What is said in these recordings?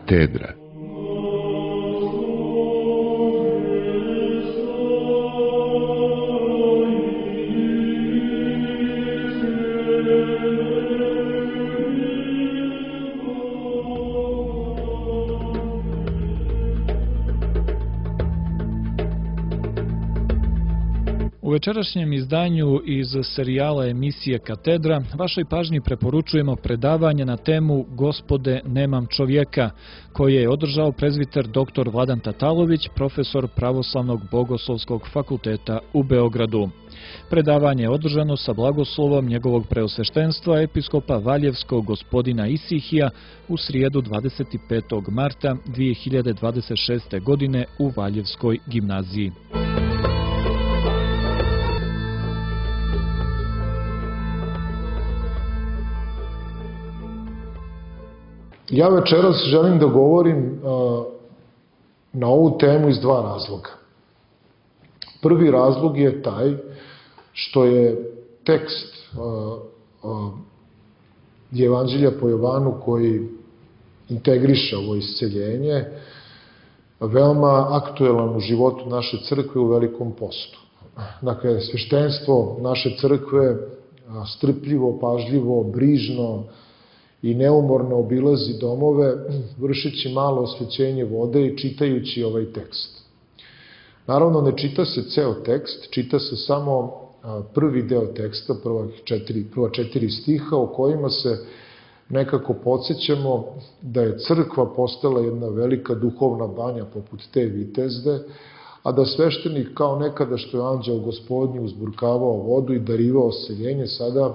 Katedra. U večerašnjem izdanju iz serijala emisije Katedra vašoj pažnji preporučujemo predavanje na temu Gospode, nemam čovjeka, koje je održao prezbiter dr. Vladan Tatalović, profesor Pravoslavnog bogoslovskog fakulteta u Beogradu. Predavanje je održano sa blagoslovom njegovog preosveštenstva episkopa Valjevskog gospodina Isihija u srijedu 25. marta 2026. godine u Valjevskoj gimnaziji. Ja večeras želim da govorim na ovu temu iz dva razloga. Prvi razlog je taj što je tekst Evanđelja po Jovanu koji integriše ovo isceljenje veoma aktuelan u životu naše crkve u Velikom postu. Dakle, sveštenstvo naše crkve strpljivo, pažljivo, brižno i neumorno obilazi domove, vršeći malo osvećenje vode i čitajući ovaj tekst. Naravno, ne čita se ceo tekst, čita se samo prvi deo teksta, prva četiri stiha, u kojima se nekako podsjećamo da je crkva postala jedna velika duhovna banja poput te Vitezde, a da sveštenik kao nekada što je anđeo Gospodnji uzburkavao vodu i darivao seljenje, sada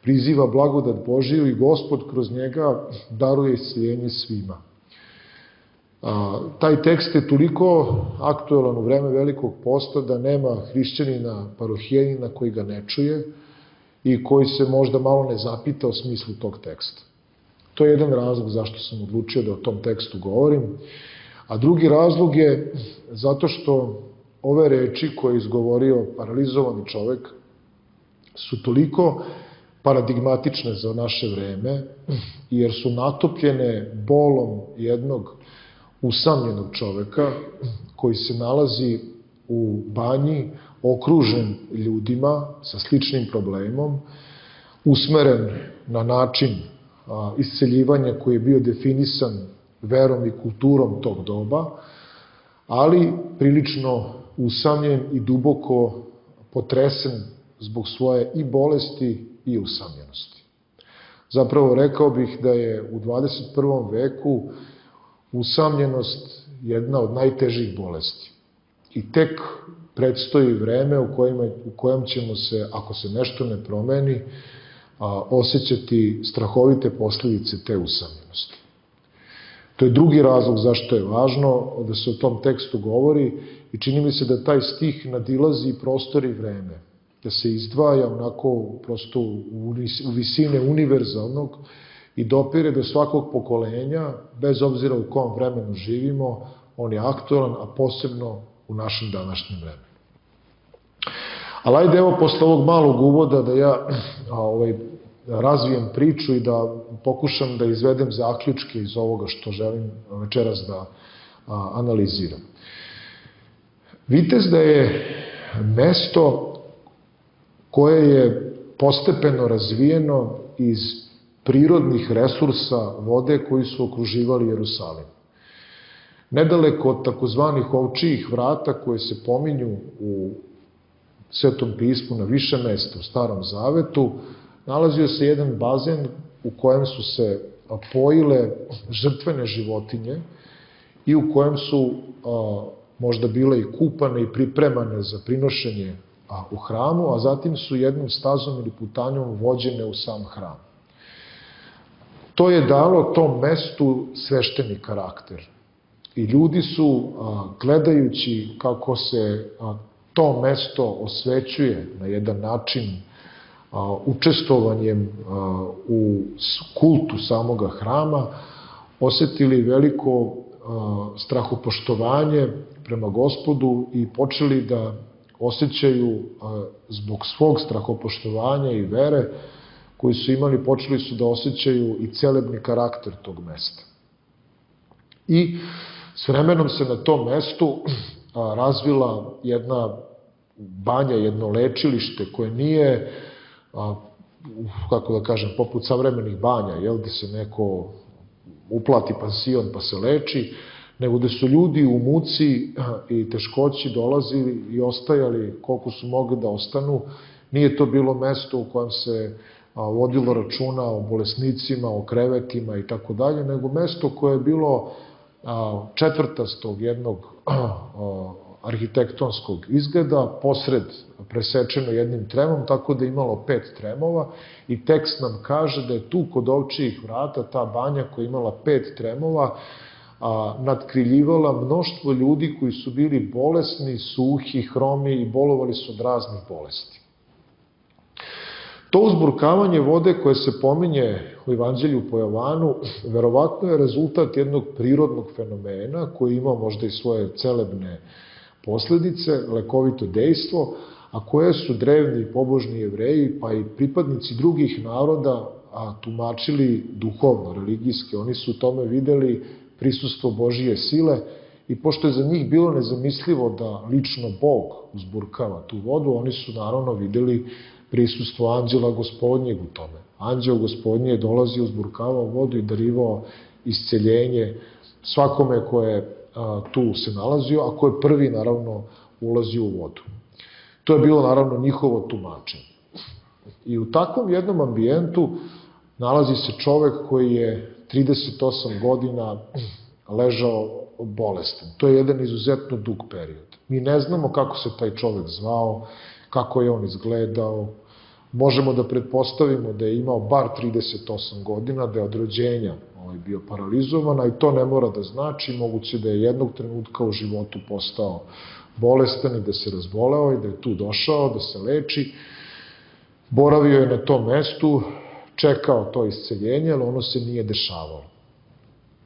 priziva blagodat Božiju i Gospod kroz njega daruje isceljenje svima. Taj tekst je toliko aktuelan u vreme Velikog posta da nema hrišćanina, parohijenina koji ga ne čuje i koji se možda malo ne zapita o smislu tog teksta. To je jedan razlog zašto sam odlučio da o tom tekstu govorim. A drugi razlog je zato što ove reči koje je izgovorio paralizovani čovek su toliko paradigmatične za naše vreme, jer su natopljene bolom jednog usamljenog čoveka koji se nalazi u banji, okružen ljudima sa sličnim problemom, usmeren na način isceljivanja koji je bio definisan verom i kulturom tog doba, ali prilično usamljen i duboko potresen zbog svoje i bolesti i usamljenosti. Zapravo rekao bih da je u 21. veku usamljenost jedna od najtežih bolesti. I tek predstoji vreme u kojem ćemo se, ako se nešto ne promeni, osjećati strahovite posljedice te usamljenosti. To je drugi razlog zašto je važno da se o tom tekstu govori i čini mi se da taj stih nadilazi prostor i vreme, da se izdvaja onako prosto u visine univerzalnog i dopire do svakog pokolenja, bez obzira u kom vremenu živimo, on je aktualan, a posebno u našem današnjem vremenu. Ali ajde evo posle ovog malog uvoda da ja razvijem priču i da pokušam da izvedem zaključke iz ovoga što želim večeras da analiziram. Vitezda je mesto koje je postepeno razvijeno iz prirodnih resursa vode koji su okruživali Jerusalim. Nedaleko od takozvanih ovčijih vrata koje se pominju u Svetom pismu na više mesta u Starom Zavetu, nalazio se jedan bazen u kojem su se pojile žrtvene životinje i u kojem su možda bile i kupane i pripremane za prinošenje u hramu, a zatim su jednom stazom ili putanjom vođene u sam hram. To je dalo tom mestu svešteni karakter. I ljudi su, gledajući kako se to mesto osvećuje na jedan način učestvovanjem u kultu samoga hrama, osetili veliko strahopoštovanje prema Gospodu i počeli da osjećaju zbog svog strahopoštovanja i vere koju su imali, počeli su da osjećaju i celebni karakter tog mesta. I s vremenom se na tom mestu razvila jedna banja, jedno lečilište koje nije, kako da kažem, poput savremenih banja, gde se neko uplati pansion pa se leči, nego gde su ljudi u muci i teškoći dolazili i ostajali koliko su mogli da ostanu. Nije to bilo mesto u kojem se vodilo računa o bolesnicima, o krevetima i tako dalje, nego mesto koje je bilo četvrtastog jednog arhitektonskog izgleda, posred presečeno jednim tremom, tako da je imalo 5 tremova i tekst nam kaže da je tu kod Ovčijih vrata ta banja koja je imala 5 tremova nadkriljivala mnoštvo ljudi koji su bili bolesni, suhi, hromi i bolovali su od raznih bolesti. To uzburkavanje vode koje se pominje u Evanđelju po Jovanu, verovatno je rezultat jednog prirodnog fenomena koji ima možda i svoje celebne posledice, lekovito dejstvo, a koje su drevni pobožni Jevreji pa i pripadnici drugih naroda tumačili duhovno, religijski. Oni su u tome videli prisustvo Božije sile i pošto je za njih bilo nezamislivo da lično Bog uzburkava tu vodu, oni su naravno videli prisustvo anđela Gospodnjeg u tome. Anđeo Gospodnji je dolazio, uzburkavao vodu i darivao isceljenje svakome ko je tu se nalazio, a ko je prvi naravno ulazio u vodu. To je bilo naravno njihovo tumačenje. I u takvom jednom ambijentu nalazi se čovek koji je 38 godina ležao bolestan. To je jedan izuzetno dug period. Mi ne znamo kako se taj čovek zvao, kako je on izgledao. Možemo da pretpostavimo da je imao bar 38 godina, da je od rođenja bio paralizovan, a i to ne mora da znači, moguće da je jednog trenutka u životu postao bolestan i da se razboleo i da je tu došao, da se leči. Boravio je na tom mestu, čekao to isceljenje, ali ono se nije dešavalo.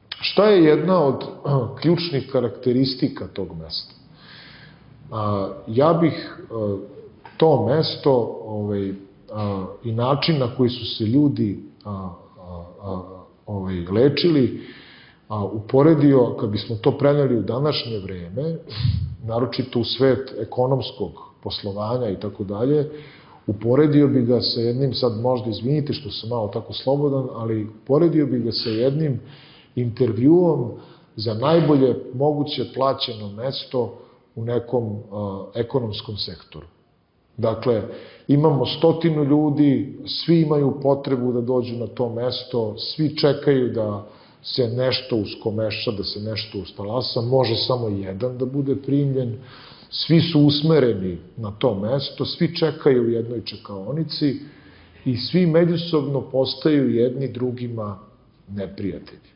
Šta je jedna od ključnih karakteristika tog mesta? Ja bih to mesto i način na koji su se ljudi lečili uporedio, kad bismo to preneli u današnje vreme, naročito u svet ekonomskog poslovanja i tako dalje, uporedio bi ga sa jednim, sad možda izvinite što sam malo tako slobodan, ali uporedio bi ga sa jednim intervjuom za najbolje moguće plaćeno mesto u nekom ekonomskom sektoru. Dakle, imamo 100 ljudi, svi imaju potrebu da dođu na to mesto, svi čekaju da se nešto uskomeša, da se nešto ustalasa, može samo jedan da bude primljen, svi su usmereni na to mesto, svi čekaju u jednoj čekaonici i svi međusobno postaju jedni drugima neprijatelji.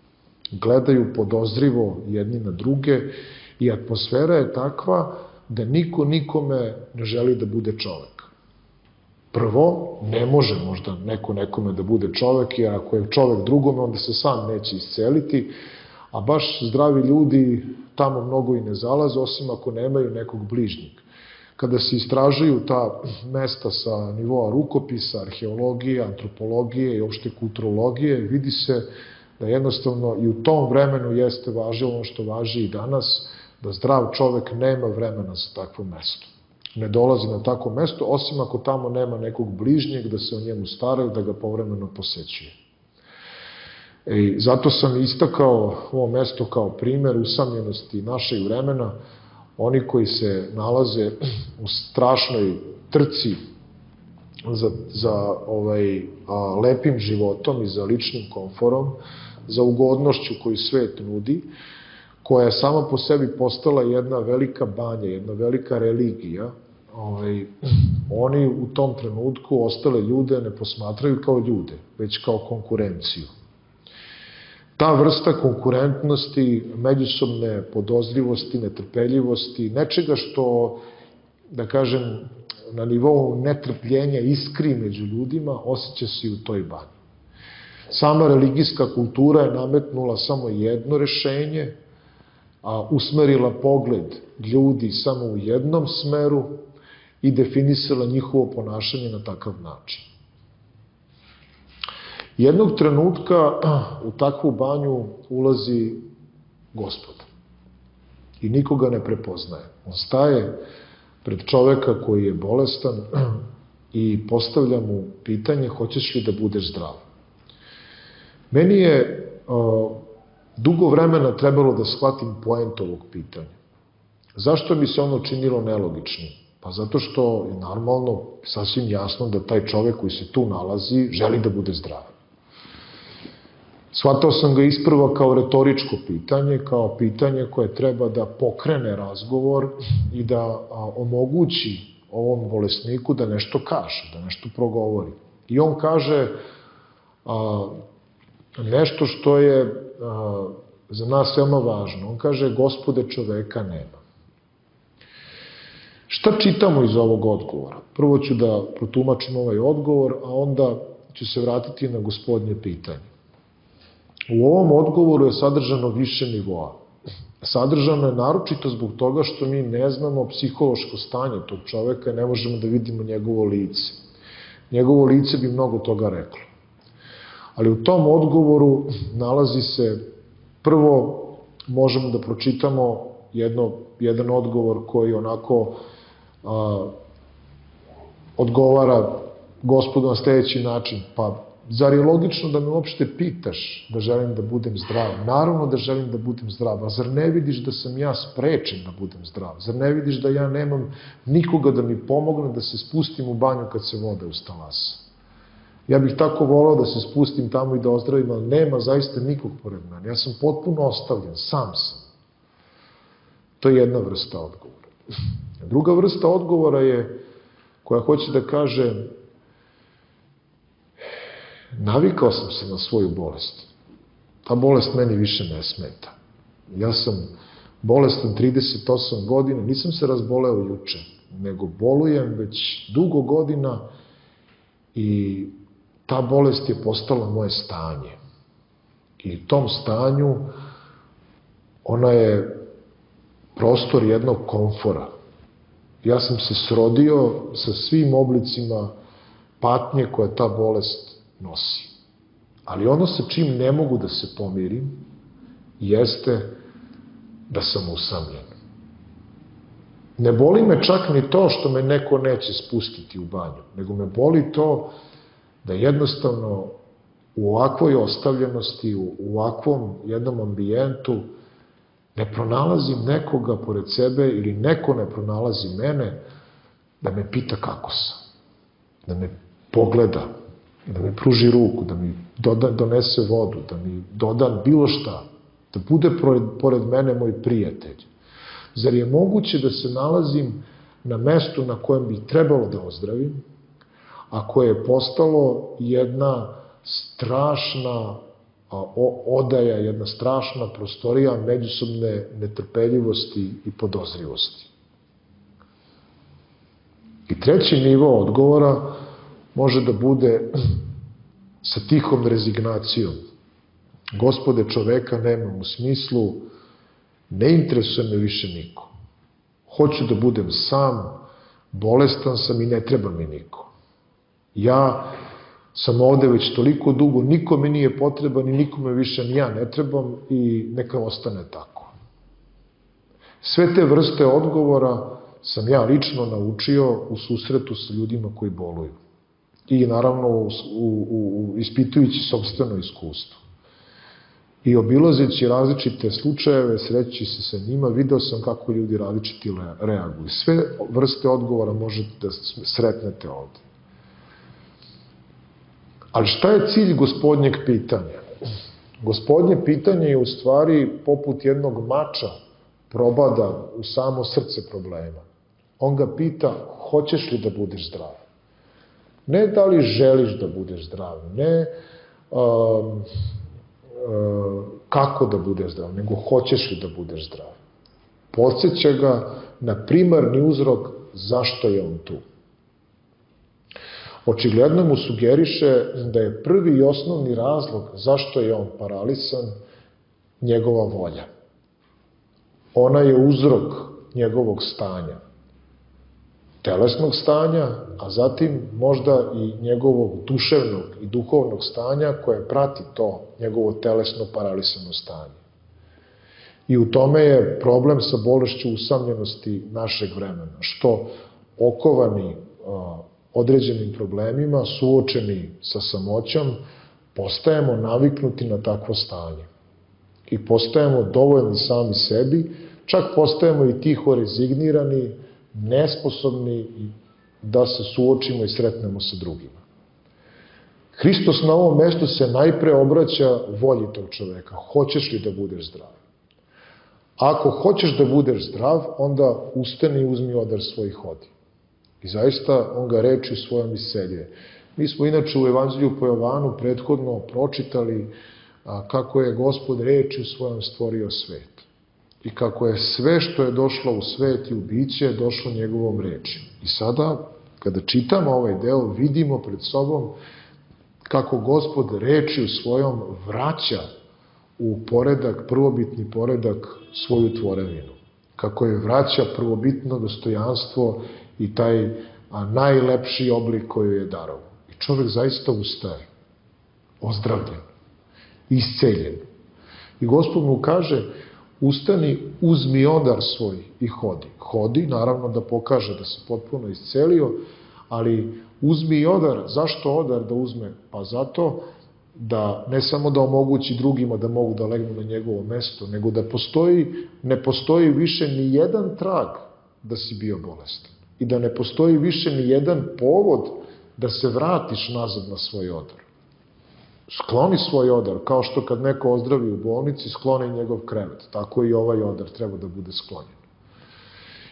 Gledaju podozrivo jedni na druge i atmosfera je takva da niko nikome ne želi da bude čovek. Prvo, ne može možda neko nekome da bude čovek, jer ako je čovek drugome, onda se sam neće isceliti, a baš zdravi ljudi tamo mnogo i ne zalaze, osim ako nemaju nekog bližnjeg. Kada se istražuju ta mesta sa nivoa rukopisa, arheologije, antropologije i opšte kulturologije, vidi se da jednostavno i u tom vremenu jeste važilo ono što važi i danas, da zdrav čovek nema vremena za takvo mesto. Ne dolazi na takvo mesto, osim ako tamo nema nekog bližnjeg da se o njemu staraju, da ga povremeno posećuje. Zato sam istakao ovo mesto kao primer usamljenosti našeg vremena, oni koji se nalaze u strašnoj trci za lepim životom i za ličnim komforom, za ugodnošću koju svet nudi, koja je sama po sebi postala jedna velika banja, jedna velika religija, oni u tom trenutku ostale ljude ne posmatraju kao ljude, već kao konkurenciju. Ta vrsta konkurentnosti, međusobne podozrivosti, netrpeljivosti, nečega što, da kažem, na nivou netrpljenja iskri među ljudima, osjeća se i u toj banji. Sama religijska kultura je nametnula samo jedno rešenje, usmerila pogled ljudi samo u jednom smeru i definisala njihovo ponašanje na takav način. Jednog trenutka u takvu banju ulazi Gospod. I nikoga ne prepoznaje. On staje pred čoveka koji je bolestan i postavlja mu pitanje hoćeš li da budeš zdrav. Meni je dugo vremena trebalo da shvatim poent ovog pitanja. Zašto mi se ono činilo nelogičnim? Pa zato što je normalno, sasvim jasno da taj čovek koji se tu nalazi želi da bude zdrav. Shvatao sam ga isprva kao retoričko pitanje, kao pitanje koje treba da pokrene razgovor i da omogući ovom bolesniku da nešto kaže, da nešto progovori. I on kaže nešto što je za nas veoma važno. On kaže, Gospode, čoveka nema. Šta čitamo iz ovog odgovora? Prvo ću da protumačim ovaj odgovor, a onda ću se vratiti na Gospodnje pitanje. U ovom odgovoru je sadržano više nivoa. Sadržano je naročito zbog toga što mi ne znamo psihološko stanje tog čoveka i ne možemo da vidimo njegovo lice. Njegovo lice bi mnogo toga reklo. Ali u tom odgovoru nalazi se, prvo možemo da pročitamo jedan odgovor koji onako odgovara Gospodu na sledeći način. Pa, zar je logično da me uopšte pitaš da želim da budem zdrav? Naravno da želim da budem zdrav, a zar ne vidiš da sam ja sprečen da budem zdrav? Zar ne vidiš da ja nemam nikoga da mi pomogne da se spustim u banju kad se vode ustalasa? Ja bih tako volao da se spustim tamo i da ozdravim, ali nema zaista nikog pored mene. Ja sam potpuno ostavljen, sam sam. To je jedna vrsta odgovora. Druga vrsta odgovora je koja hoće da kaže navikao sam se na svoju bolest. Ta bolest meni više ne smeta. Ja sam bolestan 38 godina, nisam se razboleo juče, nego bolujem već dugo godina i ta bolest je postala moje stanje. I u tom stanju ona je prostor jednog komfora. Ja sam se srodio sa svim oblicima patnje koje ta bolest nosi. Ali ono sa čim ne mogu da se pomirim jeste da sam usamljen. Ne boli me čak ni to što me neko neće spustiti u banju, nego me boli to da jednostavno u ovakvoj ostavljenosti, u ovakvom jednom ambijentu ne pronalazim nekoga pored sebe ili neko ne pronalazi mene da me pita kako sam, da me pogleda, da mi pruži ruku, da mi donese vodu, da mi doda bilo šta, da bude pored mene moj prijatelj. Zar je moguće da se nalazim na mestu na kojem bi trebalo da ozdravim, a koje je postalo jedna strašna odaja, jedna strašna prostorija međusobne netrpeljivosti i podozrivosti. I treći nivo odgovora može da bude sa tihom rezignacijom. Gospode, čoveka nemam, u smislu ne interesuje me više niko. Hoću da budem sam, bolestan sam i ne treba mi niko. Ja sam ovde već toliko dugo, niko mi nije potreban i nikome više ni ja ne trebam i neka ostane tako. Sve te vrste odgovora sam ja lično naučio u susretu sa ljudima koji boluju. I naravno ispitujući sopstveno iskustvo. I obilazeći različite slučajeve, sreći se sa njima, video sam kako ljudi različiti reaguju. Sve vrste odgovora možete da sretnete ovde. Ali šta je cilj Gospodnjeg pitanja? Gospodnje pitanje je u stvari poput jednog mača probada u samo srce problema. On ga pita, hoćeš li da budeš zdrav? Ne da li želiš da budeš zdrav, ne kako da budeš zdrav, nego hoćeš li da budeš zdrav. Podsjeća ga na primarni uzrok zašto je on tu. Očigledno mu sugeriše da je prvi i osnovni razlog zašto je on paralisan njegova volja. Ona je uzrok njegovog stanja, telesnog stanja, a zatim možda i njegovog duševnog i duhovnog stanja koje prati to njegovo telesno paralisano stanje. I u tome je problem sa bolešću usamljenosti našeg vremena, što okovani određenim problemima, suočeni sa samoćom, postajemo naviknuti na takvo stanje. I postajemo dovoljni sami sebi, čak postajemo i tiho rezignirani, nesposobni da se suočimo i sretnemo sa drugima. Hristos na ovom mestu se najpre obraća volji tog čoveka. Hoćeš li da budeš zdrav? Ako hoćeš da budeš zdrav, onda ustani i uzmi odar svoj i hodi. I zaista on ga rečju svojom iseljuje. Mi smo inače u Evanđelju po Jovanu prethodno pročitali kako je Gospod rečju svojom stvorio svet. I kako je sve što je došlo u svet i u biće došlo njegovom rečju. I sada, kada čitamo ovaj deo, vidimo pred sobom kako Gospod rečju svojom vraća u poredak, prvobitni poredak svoju tvorevinu. Kako je vraća prvobitno dostojanstvo i taj najlepši oblik koji je darovao. I čovjek zaista ustaje, ozdravljen, isceljen. I Gospod mu kaže, ustani, uzmi odar svoj i hodi. Hodi, naravno da pokaže da se potpuno iscelio, ali uzmi i odar. Zašto odar da uzme? Pa zato da ne samo da omogući drugima da mogu da legnu na njegovo mesto, nego da ne postoji više ni jedan trag da si bio bolestan. I da ne postoji više ni jedan povod da se vratiš nazad na svoj odar. Skloni svoj odar, kao što kad neko ozdravi u bolnici, skloni njegov krevet. Tako i ovaj odar treba da bude sklonjen.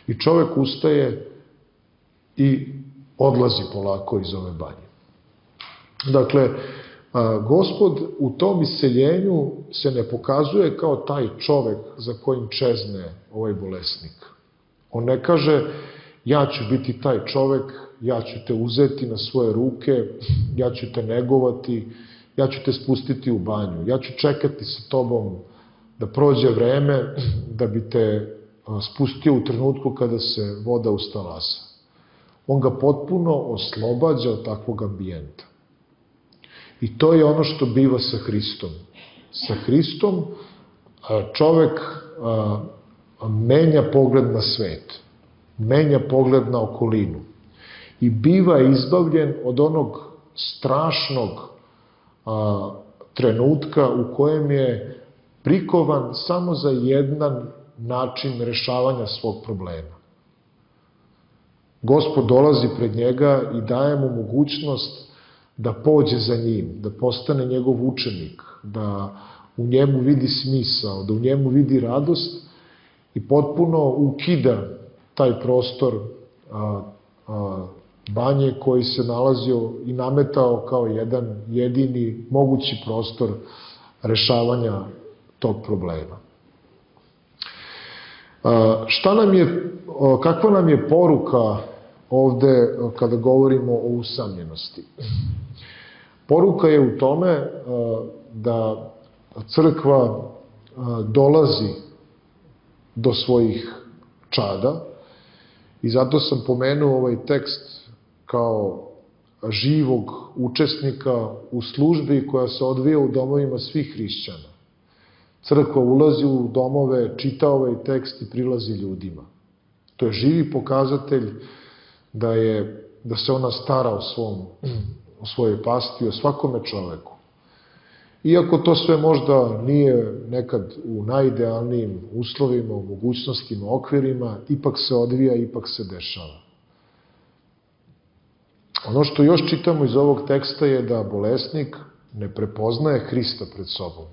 I čovek ustaje i odlazi polako iz ove banje. Dakle, Gospod u tom iseljenju se ne pokazuje kao taj čovek za kojim čezne ovaj bolesnik. On ne kaže, ja ću biti taj čovek, ja ću te uzeti na svoje ruke, ja ću te negovati, ja ću te spustiti u banju, ja ću čekati sa tobom da prođe vreme da bi te spustio u trenutku kada se voda ustalasa. On ga potpuno oslobađa od takvog ambijenta. I to je ono što biva sa Hristom. Sa Hristom čovek menja pogled na svet, menja pogled na okolinu i biva izbavljen od onog strašnog trenutka u kojem je prikovan samo za jedan način rešavanja svog problema. Gospod dolazi pred njega i daje mu mogućnost da pođe za njim, da postane njegov učenik, da u njemu vidi smisao, da u njemu vidi radost i potpuno ukida taj prostor banje koji se nalazio i nametao kao jedan jedini mogući prostor rešavanja tog problema. Kakva nam je poruka ovde kada govorimo o usamljenosti? Poruka je u tome da crkva dolazi do svojih čada i zato sam pomenuo ovaj tekst kao živog učesnika u službi koja se odvija u domovima svih hrišćana. Crkva ulazi u domove, čita ovaj tekst i prilazi ljudima. To je živi pokazatelj da se ona stara o svojoj pasti, o svakome čoveku. Iako to sve možda nije nekad u najidealnijim uslovima, u mogućnostima, okvirima, ipak se odvija, ipak se dešava. Ono što još čitamo iz ovog teksta je da bolesnik ne prepoznaje Hrista pred sobom.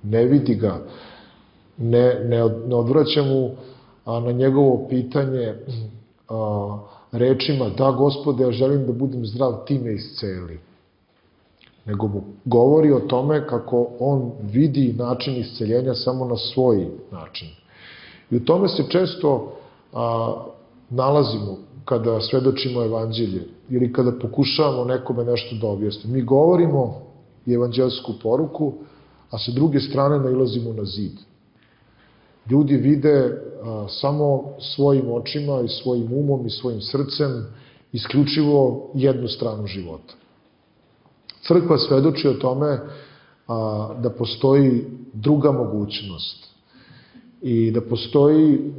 Ne vidi ga, ne odvraća mu na njegovo pitanje rečima, da Gospode, ja želim da budem zdrav, ti me isceli. Nego mu govori o tome kako on vidi način isceljenja samo na svoj način. I u tome se često nalazimo kada svedočimo evanđelje ili kada pokušavamo nekome nešto da objasnimo. Mi govorimo i evanđelsku poruku, a sa druge strane nailazimo na zid. Ljudi vide samo svojim očima i svojim umom i svojim srcem isključivo jednu stranu života. Crkva svedoči o tome da postoji druga mogućnost. i da postoji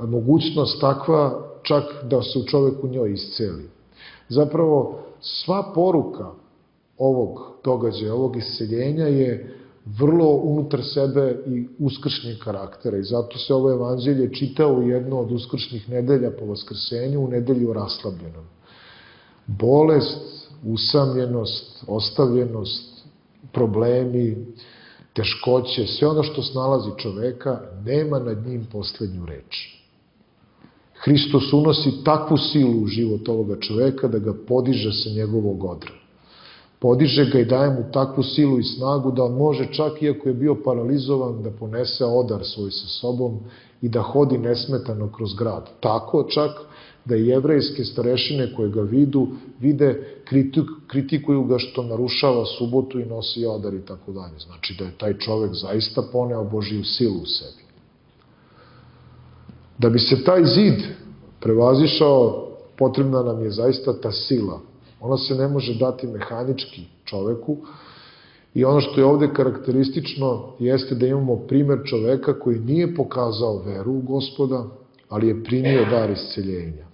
mogućnost takva čak da se u čoveku njoj isceli. Zapravo, sva poruka ovog događaja, ovog isceljenja je vrlo unutar sebe i uskršnjeg karaktera i zato se ovo evanđelje čita u jedno od uskršnjih nedelja po Vaskrsenju, u nedelju raslabljenom. Bolest, usamljenost, ostavljenost, problemi, teškoće, sve ono što snalazi čoveka, nema nad njim poslednju reč. Hristos unosi takvu silu u život ovoga čoveka da ga podiže sa njegovog odra. Podiže ga i daje mu takvu silu i snagu da on može, čak iako je bio paralizovan, da ponese odar svoj sa sobom i da hodi nesmetano kroz grad. Tako čak da i jevrejske starešine koje ga vide, kritikuju ga što narušava subotu i nosi odar i tako dalje. Znači da je taj čovek zaista poneo Božiju silu u sebi. Da bi se taj zid prevazišao, potrebna nam je zaista ta sila. Ona se ne može dati mehanički čoveku i ono što je ovde karakteristično jeste da imamo primer čoveka koji nije pokazao veru u Gospoda, ali je primio dar isceljenja.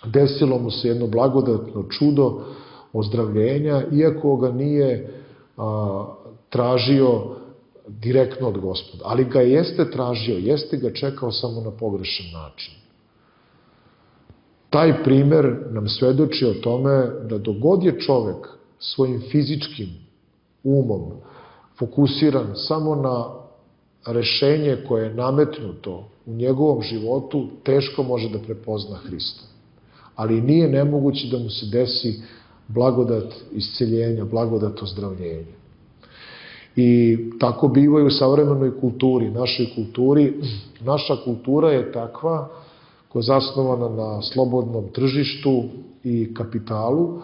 Desilo mu se jedno blagodatno čudo ozdravljenja, iako ga nije tražio direktno od Gospoda, ali ga jeste tražio, jeste ga čekao samo na pogrešan način. Taj primer nam svedoči o tome da dogod je čovek svojim fizičkim umom fokusiran samo na rešenje koje je nametnuto u njegovom životu, teško može da prepozna Hrista. Ali nije nemoguće da mu se desi blagodat isceljenja, blagodat ozdravljenja. I tako biva i u savremenoj kulturi, našoj kulturi. Naša kultura je takva koja je zasnovana na slobodnom tržištu i kapitalu,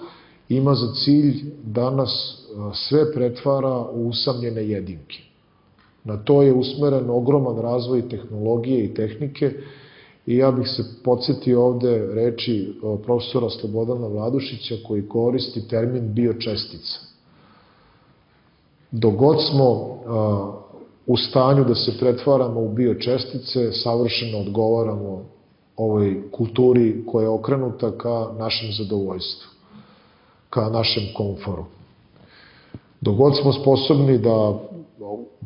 ima za cilj da nas sve pretvara u usamljene jedinke. Na to je usmeren ogroman razvoj tehnologije i tehnike i ja bih se podsjetio ovde reči profesora Slobodana Vladušića koji koristi termin biočestica. Dogod smo u stanju da se pretvaramo u biočestice, savršeno odgovaramo ovoj kulturi koja je okrenuta ka našem zadovoljstvu, ka našem komforu. Dogod smo sposobni da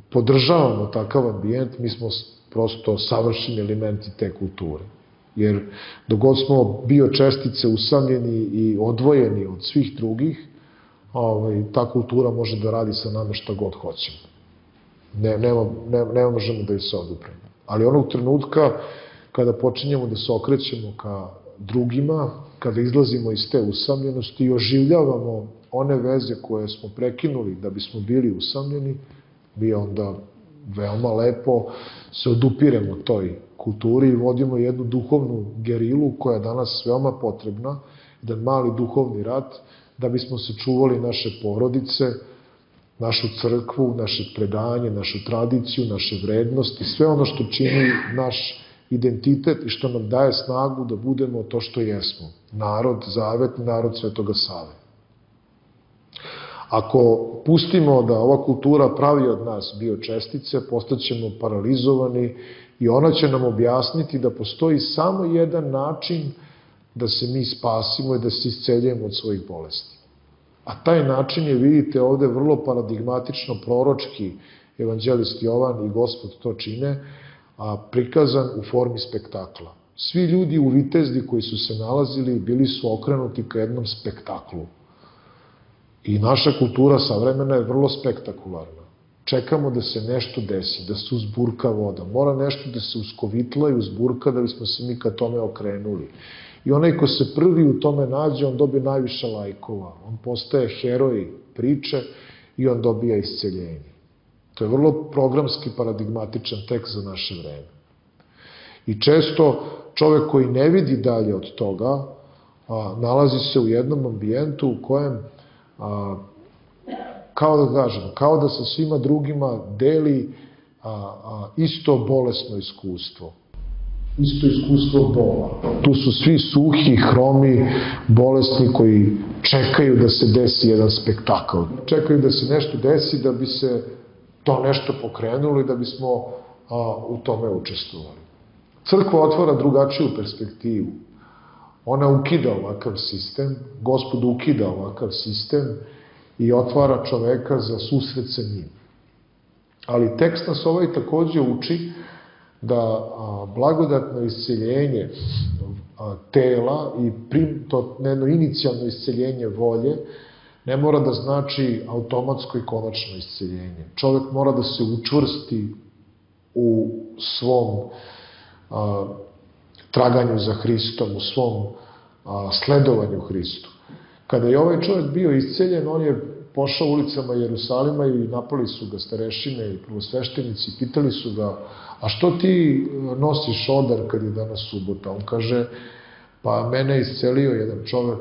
podržavamo takav ambijent, mi smo prosto savršeni elementi te kulture. Jer dogod smo biočestice usamljeni i odvojeni od svih drugih, ta kultura može da radi sa nama šta god hoćemo. Ne možemo da je se odupremo. Ali onog trenutka kada počinjemo da se okrećemo ka drugima, kada izlazimo iz te usamljenosti i oživljavamo one veze koje smo prekinuli da bismo bili usamljeni, mi onda veoma lepo se odupiremo toj kulturi i vodimo jednu duhovnu gerilu koja je danas veoma potrebna, jedan mali duhovni rat, da bismo sačuvali naše porodice, našu crkvu, naše predanje, našu tradiciju, naše vrednosti, sve ono što čini naš identitet i što nam daje snagu da budemo to što jesmo. Narod zavetni, narod Svetoga Save. Ako pustimo da ova kultura pravi od nas biočestice, postaćemo paralizovani i ona će nam objasniti da postoji samo jedan način da se mi spasimo i da se isceljujemo od svojih bolesti. A taj način je, vidite, ovde vrlo paradigmatično proročki evanđelist Jovan i Gospod to čine, prikazan u formi spektakla. Svi ljudi u Vitezdi koji su se nalazili bili su okrenuti ka jednom spektaklu. I naša kultura savremena je vrlo spektakularna. Čekamo da se nešto desi, da se uzburka voda. Mora nešto da se uskovitla i uzburka da bismo se mi ka tome okrenuli. I onaj ko se prvi u tome nađe, on dobije najviše lajkova. On postaje heroj priče i on dobija isceljenje. To je vrlo programski paradigmatičan tekst za naše vreme. I često čovek koji ne vidi dalje od toga, nalazi se u jednom ambijentu u kojem, kao da sa svima drugima deli isto bolesno iskustvo. Isto iskustvo bola. Tu su svi suhi, hromi, bolesni koji čekaju da se desi jedan spektakl. Čekaju da se nešto desi da bi se to nešto pokrenuli, da bismo u tome učestvovali. Crkva otvara drugačiju perspektivu. Ona ukida ovakav sistem, Gospod ukida ovakav sistem i otvara čoveka za susret sa njim. Ali tekst nas takođe uči da blagodatno isceljenje tela i to jedno inicijalno isceljenje volje ne mora da znači automatsko i konačno isceljenje. Čovek mora da se učvrsti u svom traganju za Hristom, u svom sledovanju Hristu. Kada je ovaj čovjek bio isceljen, on je pošao ulicama Jerusalima i napali su ga starešine i prvosveštenici, pitali su ga, a što ti nosiš odar kad je danas subota? On kaže, pa mene je iscelio jedan čovjek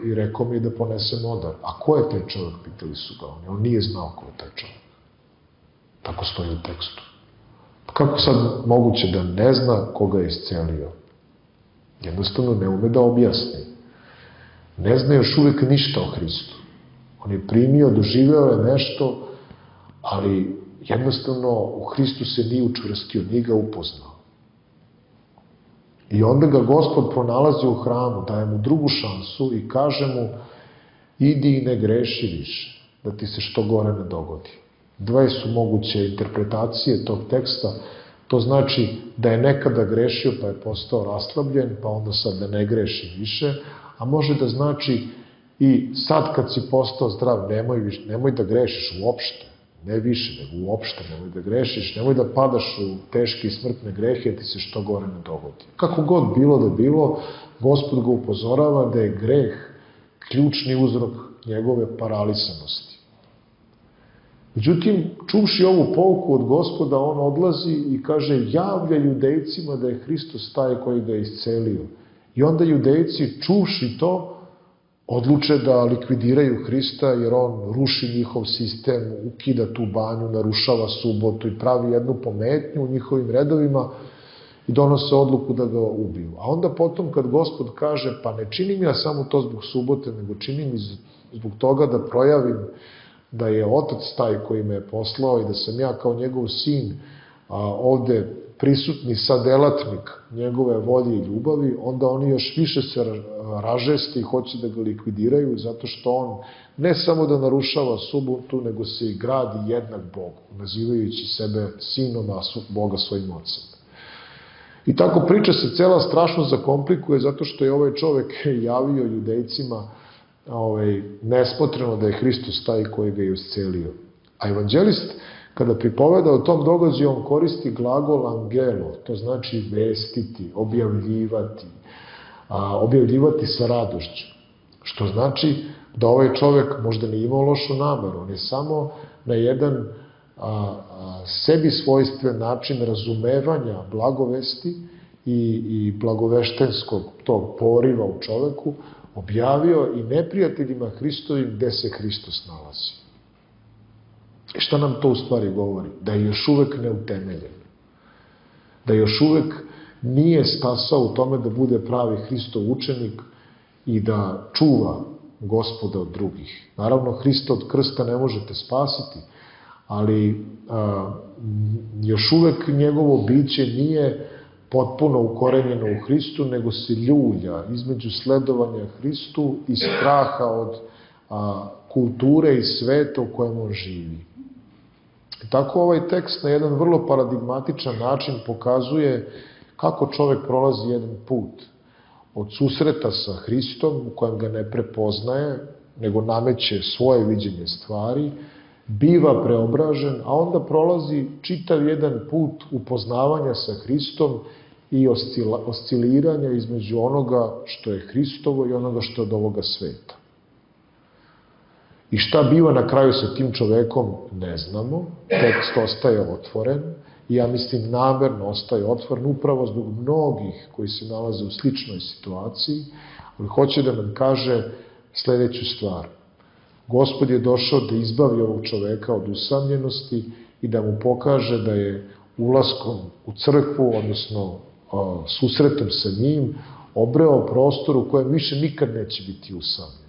i rekao mi da ponesem odar. A ko je taj čovjek? Pitali su ga. On nije znao ko je taj čovjek. Tako stoji u tekstu. Kako sad moguće da ne zna koga je iscelio? Jednostavno ne ume da objasni. Ne zna još uvek ništa o Hristu. On je primio, doživeo je nešto, ali jednostavno u Hristu se nije učvrstio, nije ga upoznao. I onda ga Gospod pronalazi u hramu, daje mu drugu šansu i kaže mu, idi i ne greši više, da ti se što gore ne dogodi. Dve su moguće interpretacije tog teksta. To znači da je nekada grešio pa je postao raslabljen, pa onda sad da ne greši više, a može da znači i sad kad si postao zdrav, nemoj da grešiš uopšte, ne više, nego uopšte nemoj da grešiš, nemoj da padaš u teške i smrtne grehe, da ti se što gore ne dogodi. Kako god bilo da bilo, Gospod ga upozorava da je greh ključni uzrok njegove paralisanosti. Međutim, čuvši ovu pouku od Gospoda, on odlazi i kaže, javlja Judejcima da je Hristos taj koji ga je iscelio. I onda Judejci, čuvši to, odluče da likvidiraju Hrista, jer on ruši njihov sistem, ukida tu banju, narušava subotu i pravi jednu pometnju u njihovim redovima i donose odluku da ga ubiju. A onda potom kad Gospod kaže, pa ne činim ja samo to zbog subote, nego činim i zbog toga da projavim da je Otac taj koji me je poslao i da sam ja kao njegov sin ovde prisutni sadelatnik njegove volje i ljubavi, onda oni još više se ražeste i hoće da ga likvidiraju, zato što on ne samo da narušava subotu, nego se i gradi jednak Bogu, nazivajući sebe sinom, a Boga svojim ocem. I tako priča se cela strašno zakomplikuje, zato što je ovaj čovek javio Judejcima nesmotreno da je Hristos taj koji ga je iscelio. A evanđelist, kada pripoveda o tom događaju, on koristi glagol angelo, to znači vestiti, objavljivati sa radošću. Što znači da ovaj čovek možda nije imao lošu nameru, on je samo na jedan sebi svojstven način razumevanja blagovesti i blagoveštenskog tog poriva u čoveku objavio i neprijateljima Hristovim gde se Hristos nalazi. I šta nam to u stvari govori? Da je još uvek neutemeljen. Da još uvek nije stasao u tome da bude pravi Hristov učenik i da čuva Gospoda od drugih. Naravno, Hrista od krsta ne možete spasiti, ali još uvek njegovo biće nije potpuno ukorenjeno u Hristu, nego se ljulja između sledovanja Hristu i straha od kulture i sveta u kojem on živi. Tako ovaj tekst na jedan vrlo paradigmatičan način pokazuje kako čovek prolazi jedan put od susreta sa Hristom u kojem ga ne prepoznaje, nego nameće svoje viđenje stvari, biva preobražen, a onda prolazi čitav jedan put upoznavanja sa Hristom i osciliranja između onoga što je Hristovo i onoga što je od ovoga sveta. I šta biva na kraju sa tim čovekom, ne znamo. Tekst ostaje otvoren i ja mislim namerno ostaje otvoren upravo zbog mnogih koji se nalaze u sličnoj situaciji, ali hoće da nam kaže sledeću stvar. Gospod je došao da izbavi ovog čoveka od usamljenosti i da mu pokaže da je ulaskom u crkvu, odnosno susretom sa njim, obreo prostor u kojem više nikad neće biti usamljen.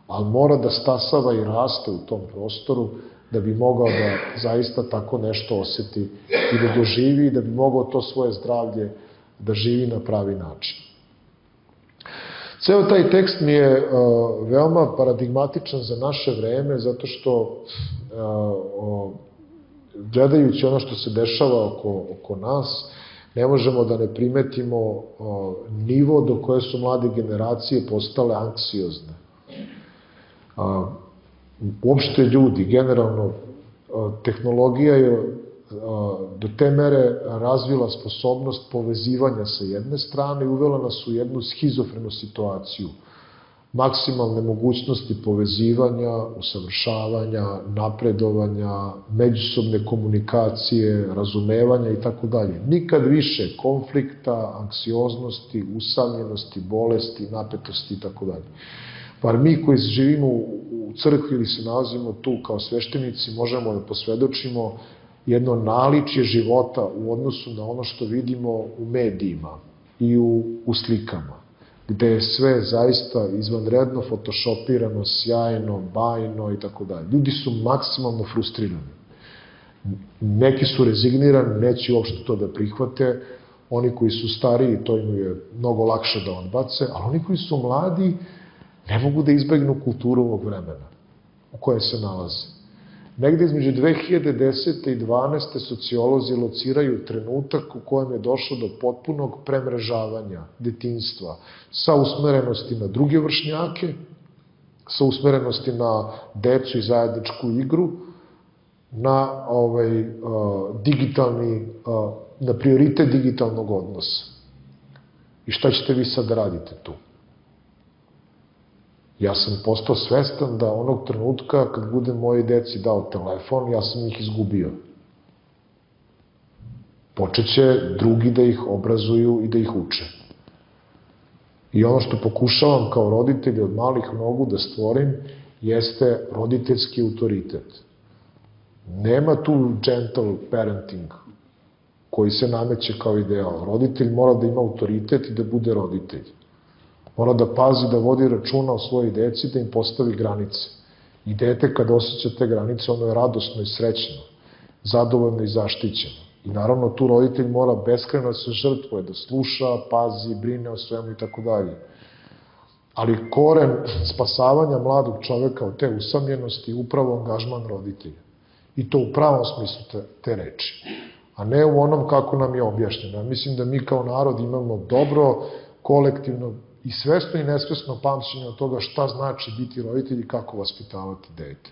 Ali mora da stasava i raste u tom prostoru da bi mogao da zaista tako nešto oseti i da doživi i da bi mogao to svoje zdravlje da živi na pravi način. Ceo taj tekst mi je veoma paradigmatičan za naše vreme, zato što gledajući ono što se dešava oko nas, ne možemo da ne primetimo nivo do koje su mlade generacije postale anksiozne. Uopšte ljudi, generalno, tehnologija je do te mere razvila sposobnost povezivanja sa jedne strane i uvela nas u jednu schizofrenu situaciju. Maksimalne mogućnosti povezivanja, usavršavanja, napredovanja, međusobne komunikacije, razumevanja i tako dalje. Nikad više konflikta, anksioznosti, usamljenosti, bolesti, napetosti i tako dalje. Bar mi koji živimo u crkvi ili se nalazimo tu kao sveštenici možemo da posvedočimo jedno naličje života u odnosu na ono što vidimo u medijima i u slikama, gde je sve zaista izvanredno fotošopirano, sjajno, bajno i tako dalje. Ljudi su maksimalno frustrirani. Neki su rezignirani, neće uopšte to da prihvate, oni koji su stariji, to im je mnogo lakše da odbace, ali oni koji su mladi ne mogu da izbegnu kulturu ovog vremena u kojoj se nalaze. Negde između 2010. i 2012. sociolozi lociraju trenutak u kojem je došlo do potpunog premrežavanja detinjstva sa usmerenosti na druge vršnjake, sa usmerenosti na decu i zajedničku igru, na na prioritet digitalnog odnosa. I šta ćete vi sad da radite tu? Ja sam postao svestan da onog trenutka kad budem moje deci dao telefon, ja sam ih izgubio. Počeće drugi da ih obrazuju i da ih uče. I ono što pokušavam kao roditelj od malih nogu da stvorim jeste roditeljski autoritet. Nema tu gentle parenting koji se nameće kao ideal. Roditelj mora da ima autoritet i da bude roditelj. Mora da pazi, da vodi računa o svojoj deci, da im postavi granice. I dete kad osjeća te granice, ono je radosno i srećno, zadovoljno i zaštićeno. I naravno tu roditelj mora beskrajno da se žrtvuje, da sluša, pazi, brine o svemu i tako dalje. Ali koren spasavanja mladog čoveka od te usamljenosti je upravo angažman roditelja. I to u pravom smislu te reči. A ne u onom kako nam je objašnjeno. Mislim da mi kao narod imamo dobro, kolektivno i svesno i nesvesno pamćenje od toga šta znači biti roditelj i kako vaspitavati dete.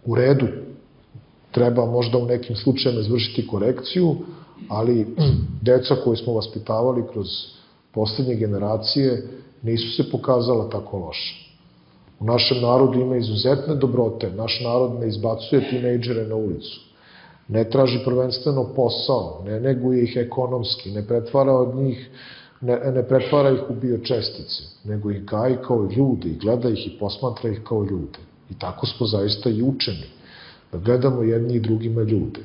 U redu, treba možda u nekim slučajima izvršiti korekciju, ali deca koje smo vaspitavali kroz poslednje generacije nisu se pokazala tako loše. U našem narodu ima izuzetne dobrote, naš narod ne izbacuje tinejdžere na ulicu, ne traži prvenstveno posao, ne neguje ih ekonomski, ne pretvara ih u biočestice, nego ih gaji kao ljude i gleda ih i posmatra ih kao ljude. I tako smo zaista i učeni, da gledamo jedni i drugima ljude.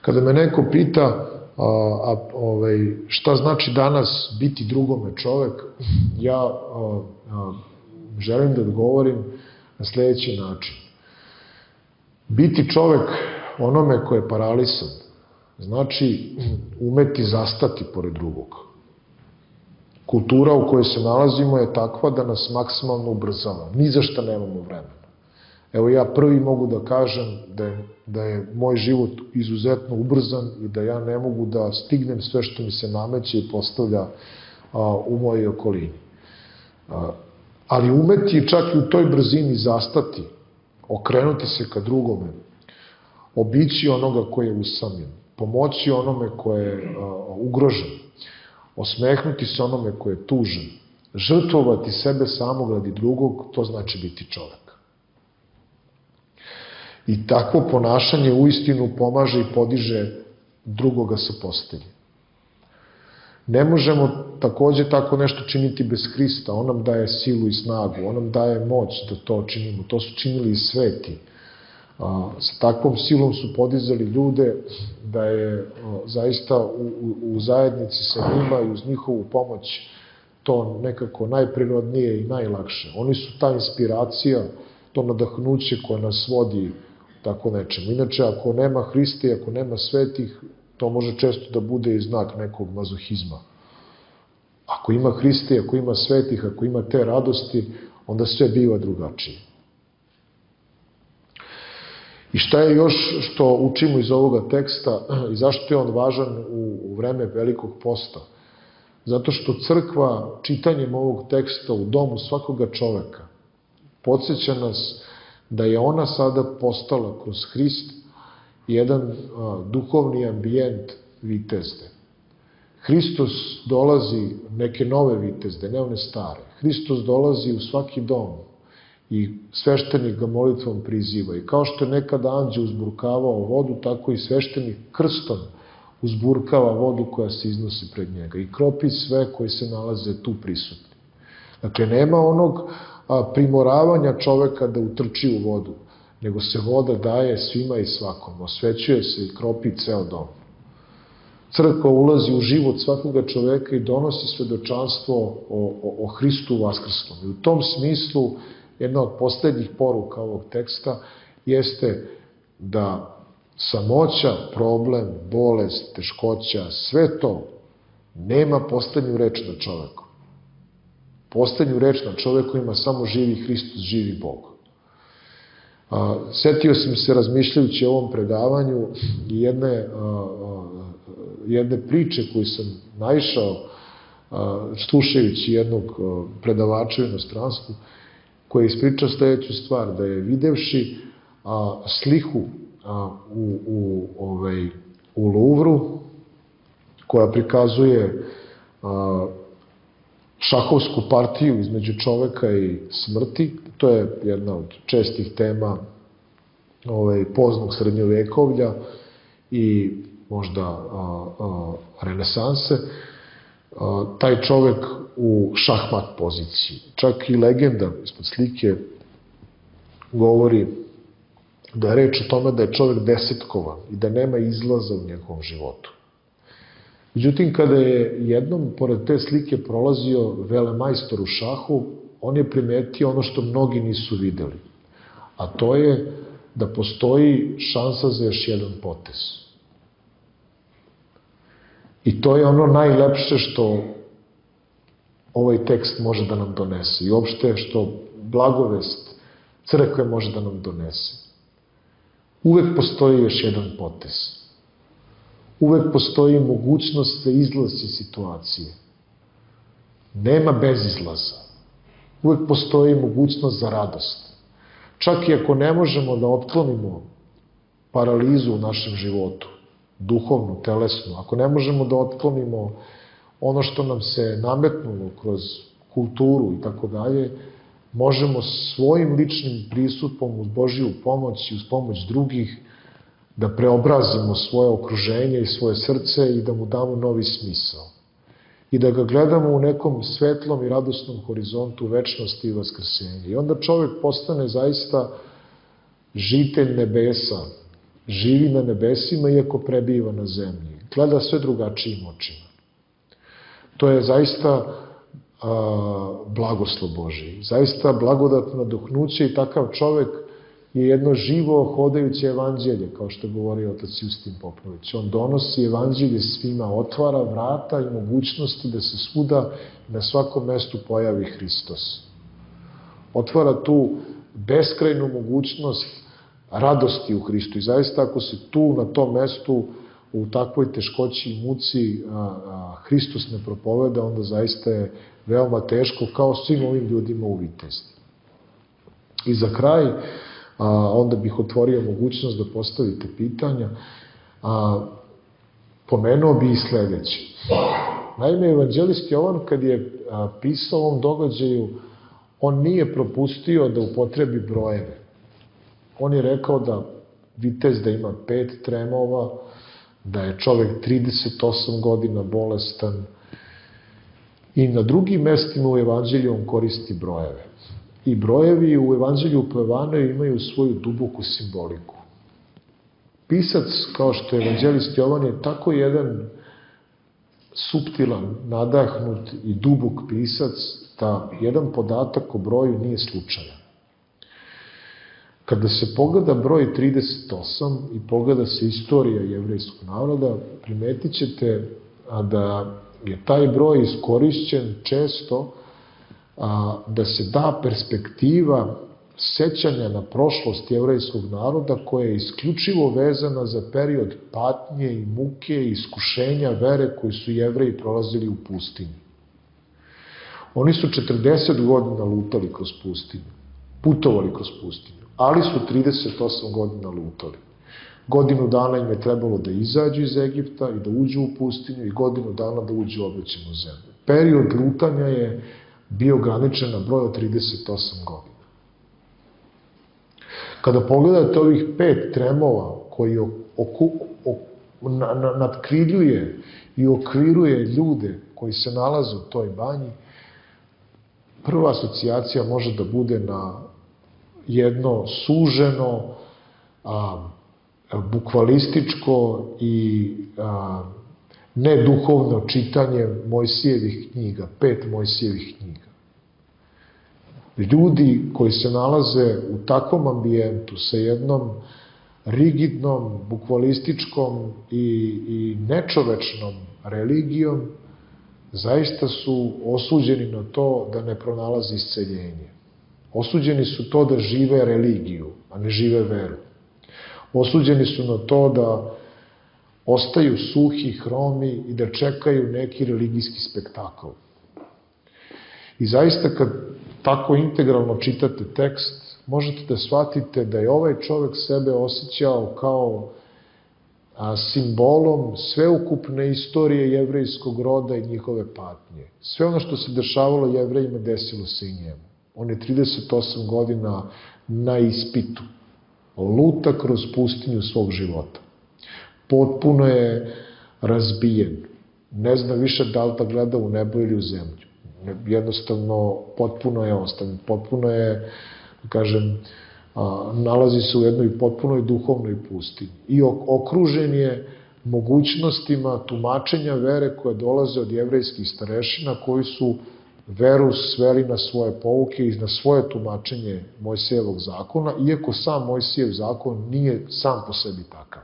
Kada me neko pita šta znači danas biti drugome čovek, ja želim da odgovorim na sledeći način. Biti čovek onome ko je paralisan, znači umeti zastati pored drugog. Kultura u kojoj se nalazimo je takva da nas maksimalno ubrzava. Ni za šta nemamo vremena. Evo ja prvi mogu da kažem da je moj život izuzetno ubrzan i da ja ne mogu da stignem sve što mi se nameće i postavlja u mojoj okolini. Ali umeti čak i u toj brzini zastati, okrenuti se ka drugome, obići onoga ko je usamljen, pomoći onome ko je ugrožen, osmehnuti se onome ko je tužan, žrtvovati sebe samog radi drugog, to znači biti čovek. I takvo ponašanje uistinu pomaže i podiže drugoga sa postelje. Ne možemo takođe tako nešto činiti bez Hrista, on nam daje silu i snagu, on nam daje moć da to činimo, to su činili i sveti. Sa takvom silom su podizali ljude da je zaista u zajednici sa njima i uz njihovu pomoć to nekako najprirodnije i najlakše. Oni su ta inspiracija to nadahnuće koje nas vodi tako nečemu. Inače, ako nema Hrista i ako nema svetih, to može često da bude i znak nekog mazohizma. Ako ima Hrista i ako ima svetih, ako ima te radosti, onda sve biva drugačije. I šta je još što učimo iz ovoga teksta i zašto je on važan u vreme Velikog posta? Zato što crkva čitanjem ovog teksta u domu svakoga čoveka podsjeća nas da je ona sada postala kroz Hrist jedan duhovni ambijent vitezde. Hristos dolazi neke nove vitezde, ne one stare. Hristos dolazi u svaki dom i sveštenik ga molitvom priziva. I kao što je nekada anđeo uzburkavao vodu, tako i sveštenik krstom uzburkava vodu koja se iznosi pred njega i kropi sve koji se nalaze tu prisutni. Dakle, nema onog primoravanja čoveka da utrči u vodu, nego se voda daje svima i svakom, osvećuje se i kropi ceo dom. Crkva ulazi u život svakoga čoveka i donosi svedočanstvo o Hristu vaskrsnom. I u tom smislu, jedna od poslednjih poruka ovog teksta jeste da samoća, problem, bolest, teškoća, sve to nema poslednju reč na čoveku. Poslednju reč na čoveku ima samo živi Hristos, živi Bog. Setio sam se razmišljajući o ovom predavanju jedne priče koju sam naišao slušajući jednog predavača u inostranstvu, koji je ispričao sledeću stvar, da je videvši sliku u Louvru koja prikazuje šahovsku partiju između čoveka i smrti. To je jedna od čestih tema poznog srednjovekovlja i možda renesanse. Taj čovek u šahmat poziciji. Čak i legenda ispod slike govori da je reč o tome da je čovek desetkovan i da nema izlaza u njegovom životu. Međutim, kada je jednom pored te slike prolazio velemajstor u šahu, on je primetio ono što mnogi nisu videli. A to je da postoji šansa za još jedan potez. I to je ono najlepše što ovaj tekst može da nam donese i uopšte što blagovest crkve može da nam donese. Uvek postoji još jedan potez. Uvek postoji mogućnost za izlaz iz situacije. Nema bezizlaza. Uvek postoji mogućnost za radost. Čak i ako ne možemo da otklonimo paralizu u našem životu, duhovnu, telesnu, ako ne možemo da otklonimo ono što nam se nametnulo kroz kulturu i tako dalje, možemo svojim ličnim pristupom uz Božiju pomoć i uz pomoć drugih da preobrazimo svoje okruženje i svoje srce i da mu damo novi smisao. I da ga gledamo u nekom svetlom i radosnom horizontu večnosti i vaskrsenja. I onda čovek postane zaista žitelj nebesa, živi na nebesima iako prebiva na zemlji. Gleda sve drugačijim očima. To je zaista blagoslov Božiji. Zaista blagodatno nadahnuće i takav čovek je jedno živo hodajuće evanđelje, kao što govori otac Justin Popović. On donosi evanđelje svima, otvara vrata i mogućnosti da se svuda na svakom mestu pojavi Hristos. Otvara tu beskrajnu mogućnost radosti u Hristu. I zaista ako se tu na tom mestu u takvoj teškoći i muci Hristos ne propoveda, onda zaista je veoma teško kao svim ovim ljudima u Vitezdi. I za kraj, onda bih otvorio mogućnost da postavite pitanja. Pomenuo bi i sledeće. Naime, evanđelist Jovan, kad je pisao o ovom događaju, on nije propustio da upotrebi brojeve. On je rekao da Vitezda ima 5 tremova, da je čovek 38 godina bolestan i na drugim mestima u evanđelju on koristi brojeve. I brojevi u evanđelju po Jovanu imaju svoju duboku simboliku. Pisac, kao što je evanđelist Jovan, je tako jedan suptilan, nadahnut i dubok pisac da jedan podatak o broju nije slučajan. Kada se pogleda broj 38 i pogleda se istorija jevrejskog naroda, primetit ćete da je taj broj iskorišćen često da se da perspektiva sećanja na prošlost jevrejskog naroda koja je isključivo vezana za period patnje i muke i iskušenja vere koji su Jevreji prolazili u pustinji. Oni su 40 godina lutali kroz pustinju, putovali kroz pustinju, ali su 38 godina lutali. Godinu dana im je trebalo da izađu iz Egipta i da uđu u pustinju i godinu dana da uđu u obećanu zemlju. Period lutanja je bio ograničen na broj od 38 godina. Kada pogledate ovih 5 tremova koji nadkriljuje i okviruje ljude koji se nalaze u toj banji, prva asocijacija može da bude na jedno suženo, bukvalističko i neduhovno čitanje Mojsijevih knjiga, 5 Mojsijevih knjiga. Ljudi koji se nalaze u takvom ambijentu, sa jednom rigidnom, bukvalističkom i nečovečnom religijom, zaista su osuđeni na to da ne pronalaze isceljenje. Osuđeni su to da žive religiju, a ne žive veru. Osuđeni su na to da ostaju suhi, hromi i da čekaju neki religijski spektakl. I zaista kad tako integralno čitate tekst, možete da shvatite da je ovaj čovek sebe osjećao kao simbolom sveukupne istorije jevrejskog roda i njihove patnje. Sve ono što se dešavalo Jevrejima desilo se i njemu. On je 38 godina na ispitu. Luta kroz pustinju svog života. Potpuno je razbijen. Ne zna više da li da gleda u nebo ili u zemlju. Jednostavno, potpuno je ostavljen. Potpuno je, kažem, nalazi se u jednoj potpunoj duhovnoj pustinji. I okružen je mogućnostima tumačenja vere koje dolaze od jevrejskih starešina koji su veru sveli na svoje pouke i na svoje tumačenje Mojsijevog zakona, iako sam Mojsijev zakon nije sam po sebi takav.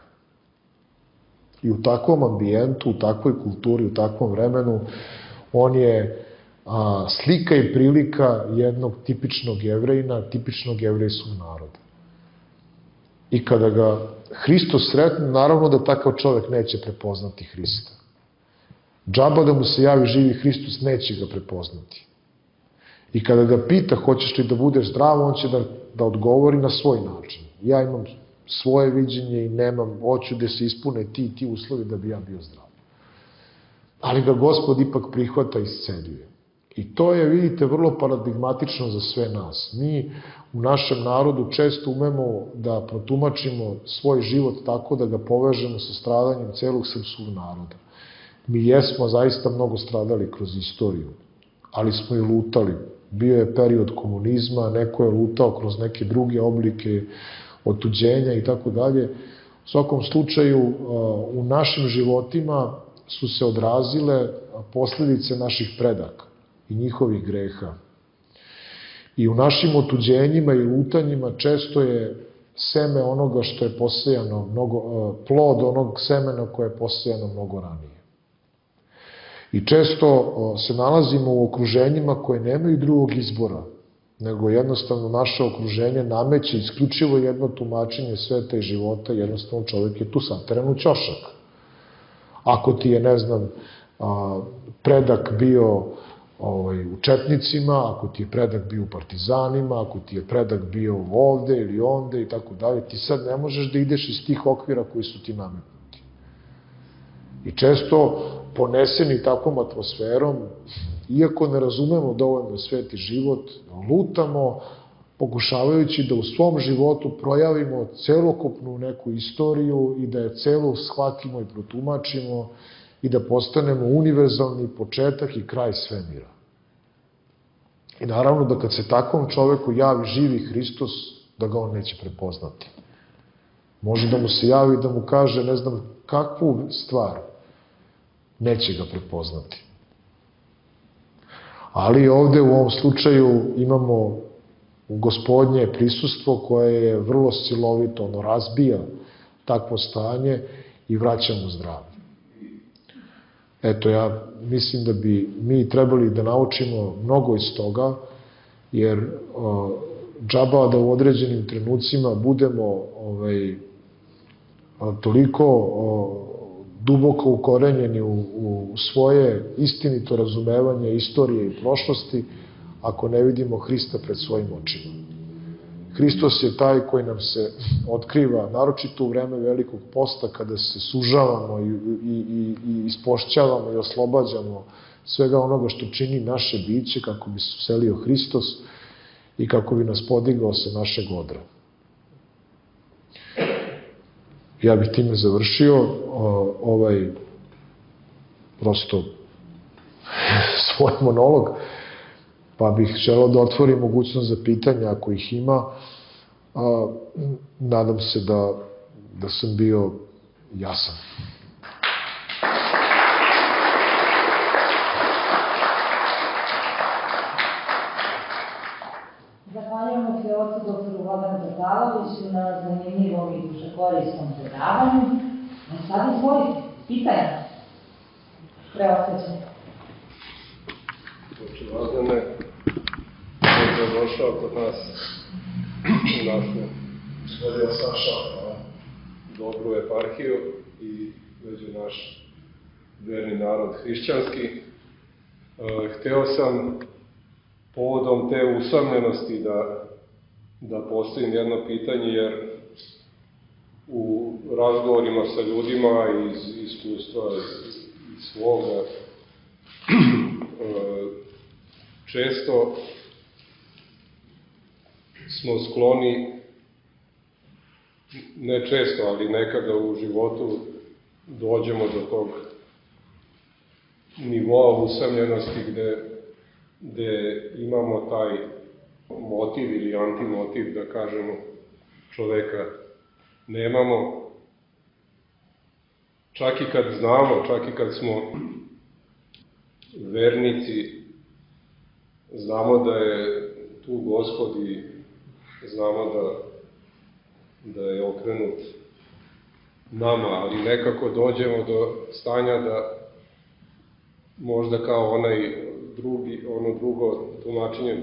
I u takvom ambijentu, u takvoj kulturi, u takvom vremenu, on je slika i prilika jednog tipičnog Jevrejina, tipičnog jevrejskog naroda. I kada ga Hristos sretne, naravno da takav čovek neće prepoznati Hrista. Džaba da mu se javi živi Hristos, neće ga prepoznati. I kada ga pita hoćeš li da budeš zdrav, on će da odgovori na svoj način. Ja imam svoje viđenje i hoću da se ispune ti uslovi da bi ja bio zdrav. Ali ga Gospod ipak prihvata i isceljuje. I to je, vidite, vrlo paradigmatično za sve nas. Mi u našem narodu često umemo da protumačimo svoj život tako da ga povežemo sa stradanjem celog srpskog naroda. Mi jesmo zaista mnogo stradali kroz istoriju, ali smo i lutali. Bio je period komunizma, neko je lutao kroz neke druge oblike otuđenja i tako dalje. U svakom slučaju, u našim životima su se odrazile posledice naših predaka i njihovih greha. I u našim otuđenjima i lutanjima često je seme onoga što je posejano, plod onog semena koje je posejano mnogo ranije. I često se nalazimo u okruženjima koje nemaju drugog izbora, nego jednostavno naše okruženje nameće isključivo jedno tumačenje sveta i života, jednostavno čovjek je tu sateran u ćošak. Ako ti je, ne znam, predak bio u četnicima, ako ti je predak bio u partizanima, ako ti je predak bio ovde ili onde i tako dalje, ti sad ne možeš da ideš iz tih okvira koji su ti nametnuti. I često poneseni takvom atmosferom, iako ne razumemo dovoljno svet i život, lutamo pokušavajući da u svom životu projavimo celokupnu neku istoriju i da je celu shvatimo i protumačimo i da postanemo univerzalni početak i kraj svemira. I naravno da kad se takvom čoveku javi živi Hristos, da ga on neće prepoznati. Može da mu se javi da mu kaže ne znam kakvu stvar, neće ga prepoznati. Ali ovde u ovom slučaju imamo u Gospodnje prisustvo koje je vrlo silovito, ono razbija takvo stanje i vraća mu zdravlje. Eto, ja mislim da bi mi trebali da naučimo mnogo iz toga, jer džaba da u određenim trenucima budemo toliko duboko ukorenjeni u svoje istinito razumevanje istorije i prošlosti, ako ne vidimo Hrista pred svojim očima. Hristos je taj koji nam se otkriva, naročito u vreme velikog posta, kada se sužavamo i ispošćavamo i oslobađamo svega onoga što čini naše biće, kako bi se uselio Hristos i kako bi nas podigao sa našeg odra. Ja bih time završio prosto svoj monolog, pa bih želeo da otvorim mogućnost za pitanja ako ih ima. Nadam se da sam bio jasan. Zahvaljujemo se ocu doktoru Vladanu Tataloviću na zanimljivom i dušekorisnom predavanju. A sad izvolite, pitanja. Preostaćemo. Vladane, koji je došao kod nas u našu dobru eparhiju i među naš verni narod hrišćanski. Hteo sam povodom te usamljenosti da postavim jedno pitanje, jer u razgovorima sa ljudima iz iskustva iz svoga često smo skloni, ne često, ali nekada u životu dođemo do tog nivoa usamljenosti gde imamo taj motiv ili antimotiv, da kažemo, čoveka nemamo. Čak i kad znamo, čak i kad smo vernici, znamo da je tu Gospod i znamo da je okrenut nama, ali nekako dođemo do stanja da možda kao ono drugo tumačenje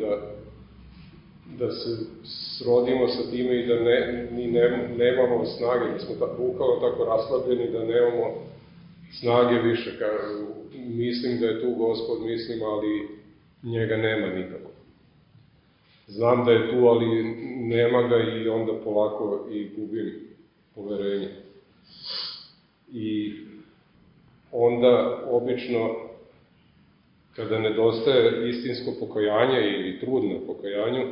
da se srodimo sa time i da ni nemamo snage, da smo bukvalno tako raslabljeni da nemamo snage više. Mislim da je tu Gospod, mislim, ali njega nema nikako. Znam da je tu, ali nema ga i onda polako i gubim poverenje. I onda obično kada nedostaje istinsko pokajanje ili trud na pokajanju,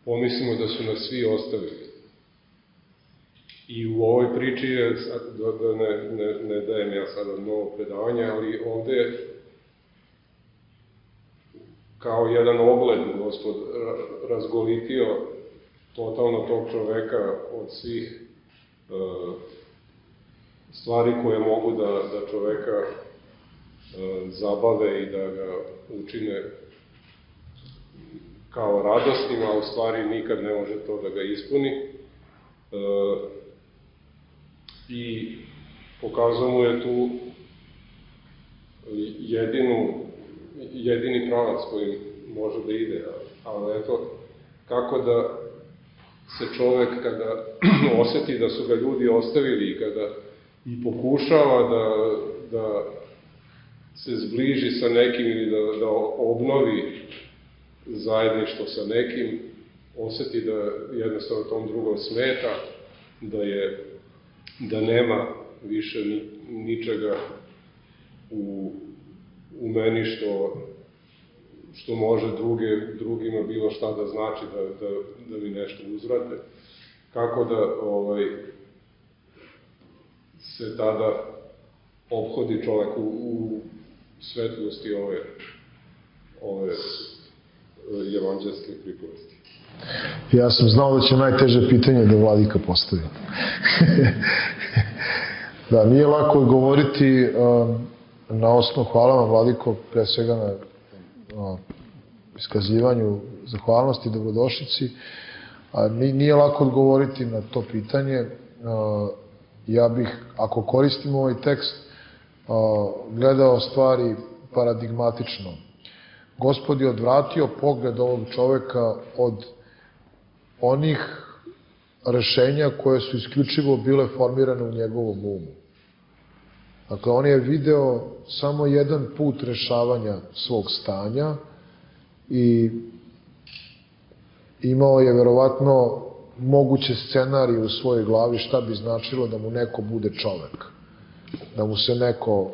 pomislimo da su nas svi ostavili. I u ovoj priči je, da ne dajem ja sada novo predavanje, ali ovde je kao jedan ogled Gospod razgolitio totalno tog čoveka od svih stvari koje mogu da čoveka zabave i da ga učine kao radosnim, a u stvari nikad ne može to da ga ispuni. I pokazao mu je tu jedini pravac kojim može da ide. Ali eto, kako da se čovek kada oseti da su ga ljudi ostavili i kada i pokušava da se zbliži sa nekim ili da obnovi zajedništvo sa nekim, oseti da jednostavno tom drugom smeta, da nema više ničega u meni što može drugima bilo šta da znači, da mi nešto uzvrate. Kako da se tada ophodi čovek u svetlosti ove evanđelske pripovesti. Ja sam znao da će najteže pitanje da Vladika postavi. Da, nije lako govoriti na osnovu, hvala vam Vladiko, pre svega na iskazivanju zahvalnosti i dobrodošlici. Nije lako odgovoriti na to pitanje. Ja bih, ako koristim ovaj tekst, gledao stvari paradigmatično. Gospod je odvratio pogled ovog čoveka od onih rešenja koje su isključivo bile formirane u njegovom umu. Dakle, on je video samo jedan put rešavanja svog stanja i imao je verovatno moguće scenarije u svojoj glavi šta bi značilo da mu neko bude čovek. Da mu se neko,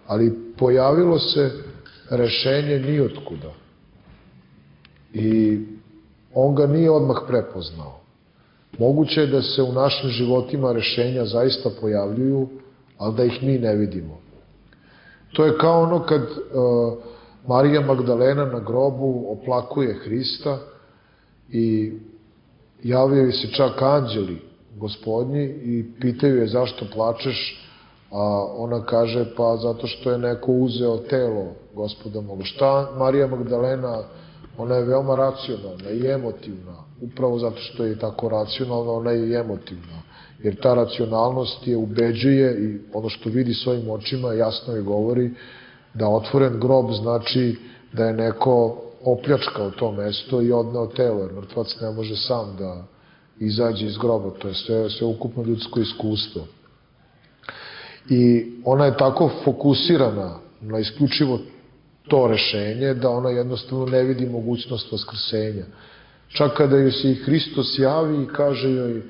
ali pojavilo se rešenje nijotkuda. I on ga nije odmah prepoznao. Moguće je da se u našim životima rešenja zaista pojavljuju, ali da ih mi ne vidimo. To je kao ono kad Marija Magdalena na grobu oplakuje Hrista i javljaju se čak anđeli gospodnji i pitaju je zašto plačeš, a ona kaže pa zato što je neko uzeo telo Gospoda moga. Šta Marija Magdalena, ona je veoma racionalna i emotivna, upravo zato što je tako racionalna, ona je i emotivna, jer ta racionalnost je ubeđuje i ono što vidi svojim očima jasno je govori da otvoren grob znači da je neko opljačkao to mesto i odneo telo, jer mrtvac ne može sam da izađe iz groba, to je sve ukupno ljudsko iskustvo. I ona je tako fokusirana na isključivo to rešenje da ona jednostavno ne vidi mogućnost vaskrsenja. Čak kada joj se i Hristos javi i kaže joj,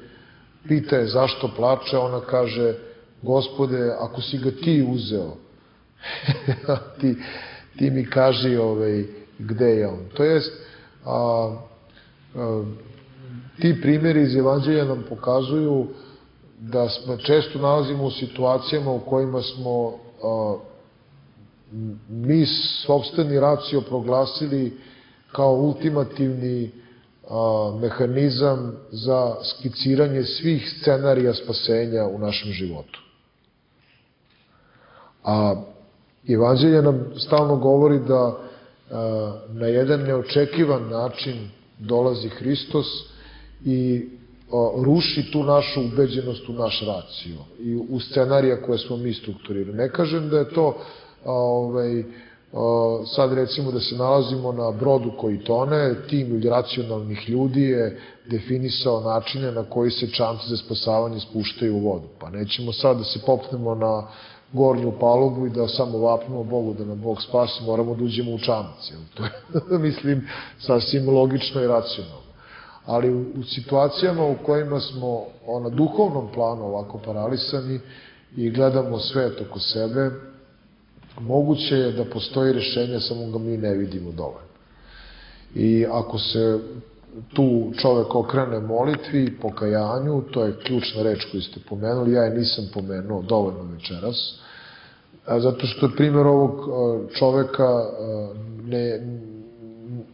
pita je zašto plače, ona kaže, Gospode, ako si ga ti uzeo, ti mi kaži gde je on. To jest, ti primjeri iz Evanđelja nam pokazuju da smo često nalazimo u situacijama u kojima smo mi sopstveni racio proglasili kao ultimativni mehanizam za skiciranje svih scenarija spasenja u našem životu. A Evanđelje nam stalno govori da na jedan neočekivan način dolazi Hristos i ruši tu našu ubeđenost u naš racio i u scenarija koje smo mi strukturirali. Ne kažem da je to sad recimo da se nalazimo na brodu koji tone, tim racionalnih ljudi je definisao načine na koji se čamci za spasavanje spuštaju u vodu. Pa nećemo sad da se popnemo na gornju palubu i da samo vapnemo Bogu da nam Bog spasi, moramo da uđemo u čamac. To je, mislim, sasvim logično i racionalno. Ali u situacijama u kojima smo na duhovnom planu ovako paralisani i gledamo svet oko sebe, moguće je da postoji rešenje, samo ga mi ne vidimo dovoljno. I ako se tu čovek okrene molitvi, pokajanju, to je ključna reč koju ste pomenuli, ja je nisam pomenuo dovoljno večeras, zato što je primjer ovog čoveka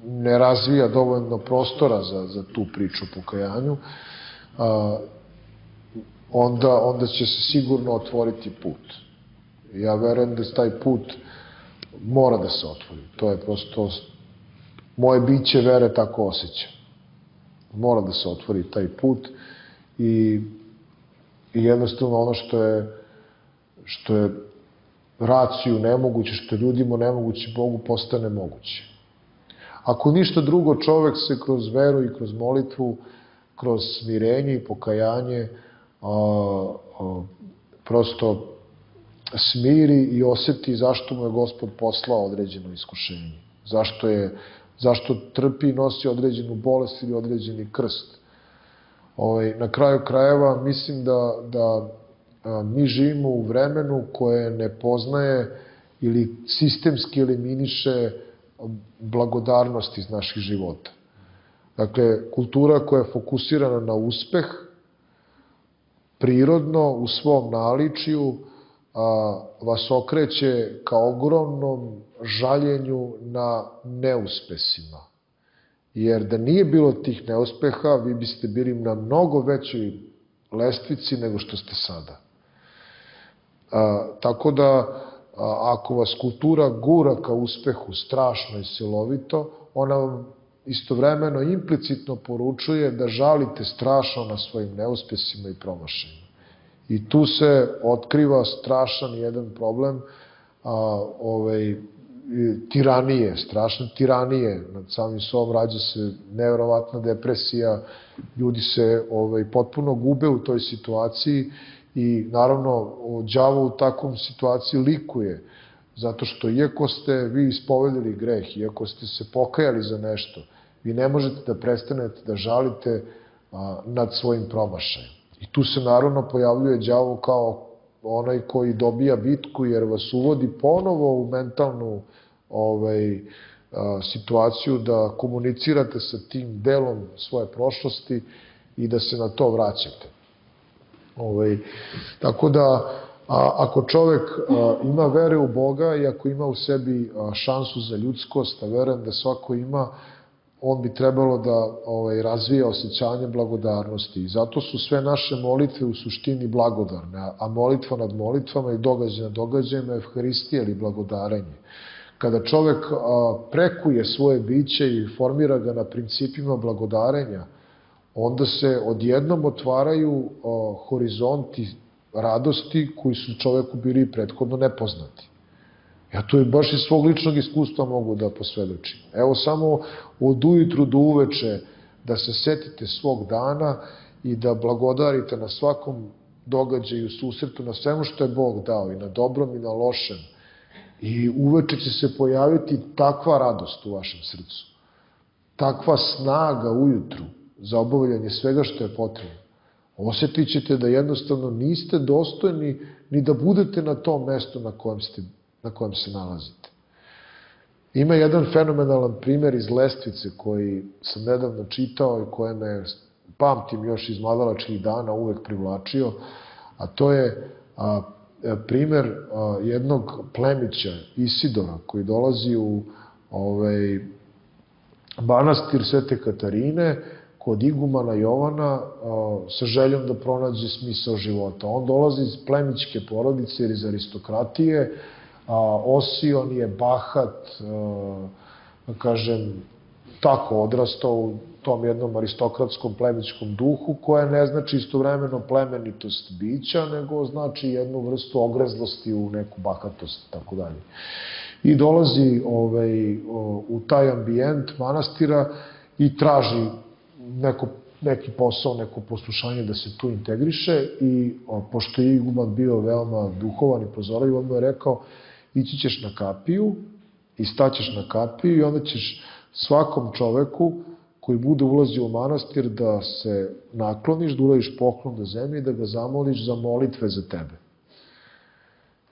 ne razvija dovoljno prostora za tu priču o pokajanju, onda će se sigurno otvoriti put. Ja verujem da taj put mora da se otvori. To je prosto, moje biće vere tako osjeća. Mora da se otvori taj put i jednostavno ono što je raciju nemoguće, što je ljudima nemoguće, Bogu postane moguće. Ako ništa drugo, čovek se kroz veru i kroz molitvu, kroz smirenje i pokajanje prosto smiri i oseti zašto mu je Gospod poslao određeno iskušenje. Zašto trpi i nosi određenu bolest ili određeni krst. Na kraju krajeva mislim da mi živimo u vremenu koje ne poznaje ili sistemski eliminiše blagodarnost iz naših života. Dakle, kultura koja je fokusirana na uspeh, prirodno, u svom naličju, vas okreće ka ogromnom žaljenju na neuspesima. Jer da nije bilo tih neuspeha, vi biste bili na mnogo većoj lestvici nego što ste sada. Tako da ako vas kultura gura ka uspehu strašno i silovito, ona vam istovremeno implicitno poručuje da žalite strašno na svojim neuspesima i promašajima. I tu se otkriva strašan jedan problem tiranije, strašne tiranije. Nad samim sobom rađa se nevjerovatna depresija, ljudi se potpuno gube u toj situaciji i naravno đavo u takvom situaciji likuje, zato što iako ste vi ispovedili greh, iako ste se pokajali za nešto, vi ne možete da prestanete da žalite nad svojim promašajem. I tu se naravno pojavljuje đavo kao onaj koji dobija bitku jer vas uvodi ponovo u mentalnu situaciju da komunicirate sa tim delom svoje prošlosti i da se na to vraćate. Tako da, ako čovek ima vere u Boga i ako ima u sebi šansu za ljudskost, a verujem da svako ima, on bi trebalo da razvija osjećanje blagodarnosti. I zato su sve naše molitve u suštini blagodarne, a molitva nad molitvama i događaj nad događajima je Evharistija ili blagodarenje. Kada čovek prekuje svoje biće i formira ga na principima blagodarenja, onda se odjednom otvaraju horizonti radosti koji su čoveku bili prethodno nepoznati. Ja to baš iz svog ličnog iskustva mogu da posvedočim. Evo samo od ujutru do uveče da se setite svog dana i da blagodarite na svakom događaju, susretu, na svemu što je Bog dao, i na dobrom i na lošem. I uveče će se pojaviti takva radost u vašem srcu, takva snaga ujutru za obavljanje svega što je potrebno. Osjetit ćete da jednostavno niste dostojni ni da budete na tom mestu na kojem se nalazite. Ima jedan fenomenalan primer iz Lestvice koji sam nedavno čitao i koje me, pamtim još iz mladalačkih dana, uvek privlačio, a to je primer jednog plemića, Isidora, koji dolazi u manastir Svete Katarine kod igumana Jovana sa željom da pronađe smisao života. On dolazi iz plemićke porodice ili iz aristokratije, osion je, bahat, kažem, tako odrastao u tom jednom aristokratskom plemićkom duhu, koja ne znači istovremeno plemenitost bića, nego znači jednu vrstu ogrezlosti u neku bahatost i tako dalje. I dolazi u taj ambijent manastira i traži neki posao, neko poslušanje da se tu integriše i pošto je iguman bio veoma duhovan i prozorljiv, on mu je rekao: ići ćeš na kapiju i staćeš na kapiju i onda ćeš svakom čoveku koji bude ulazio u manastir da se nakloniš, da uradiš poklon do zemlje i da ga zamoliš za molitve za tebe.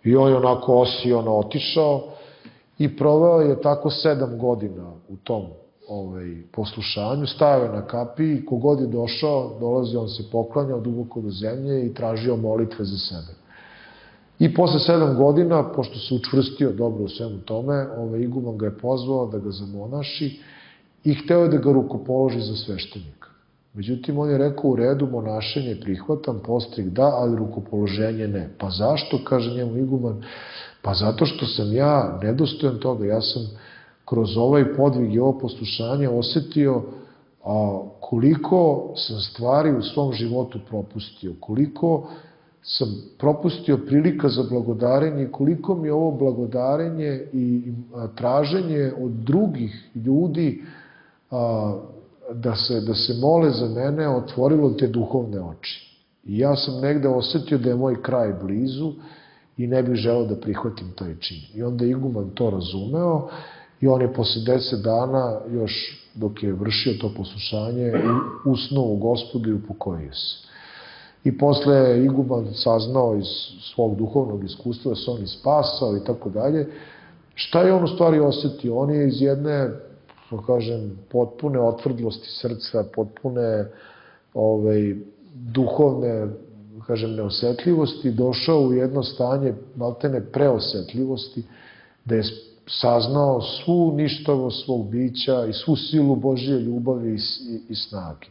I on je onako osiono otišao i proveo je tako 7 godina u tom poslušanju, stajao je na kapiji, kogod je došao, dolazio, on se poklanjao duboko do zemlje i tražio molitve za sebe. I posle 7 godina, pošto se učvrstio dobro u svemu tome, iguman ga je pozvao da ga zamonaši i hteo je da ga rukopoloži za sveštenika. Međutim, on je rekao: u redu, monašenje prihvatam, postrig da, ali rukopoloženje ne. Pa zašto, kaže njemu iguman? Pa zato što sam ja nedostojan toga, ja sam kroz ovaj podvig i ovo poslušanje osetio koliko sam stvari u svom životu propustio, koliko sam propustio prilika za blagodarenje i koliko mi ovo blagodarenje i traženje od drugih ljudi da se mole za mene otvorilo te duhovne oči. I ja sam negde osetio da je moj kraj blizu i ne bih želeo da prihvatim taj čin. I onda iguman to razumeo i on je posle 10 dana, još dok je vršio to poslušanje, usnuo u Gospodu i upokojio se. I posle je iguman saznao iz svog duhovnog iskustva da se on ispasao i tako dalje. Šta je on u stvari osetio? On je iz jedne, potpune otvrdlosti srca, potpune duhovne, neosetljivosti, došao u jedno stanje maltene preosetljivosti, da je saznao svu ništavost svog bića i svu silu Božje ljubavi i snage.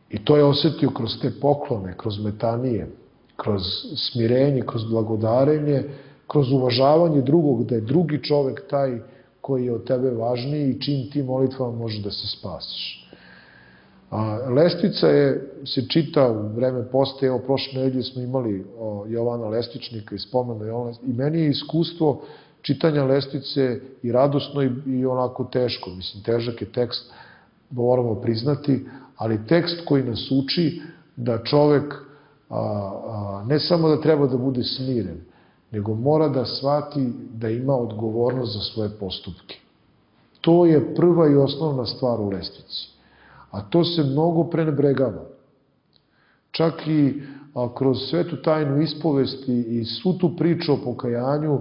I to je osetio kroz te poklone, kroz metanije, kroz smirenje, kroz blagodarenje, kroz uvažavanje drugog, da je drugi čovek taj koji je od tebe važniji i čim ti molitvama možeš da se spasiš. Lestvica se čita u vreme posta, evo prošle nedelje smo imali Jovana Lestvičnika i spomenu Jovana, i meni je iskustvo čitanja Lestvice i radosno i onako teško, mislim težak je tekst, moramo priznati, ali tekst koji nas uči da čovek ne samo da treba da bude smiren, nego mora da shvati da ima odgovornost za svoje postupke. To je prva i osnovna stvar u Lestvici. A to se mnogo prenebregava. Čak i kroz svetu tajnu ispovesti i svu tu priču o pokajanju,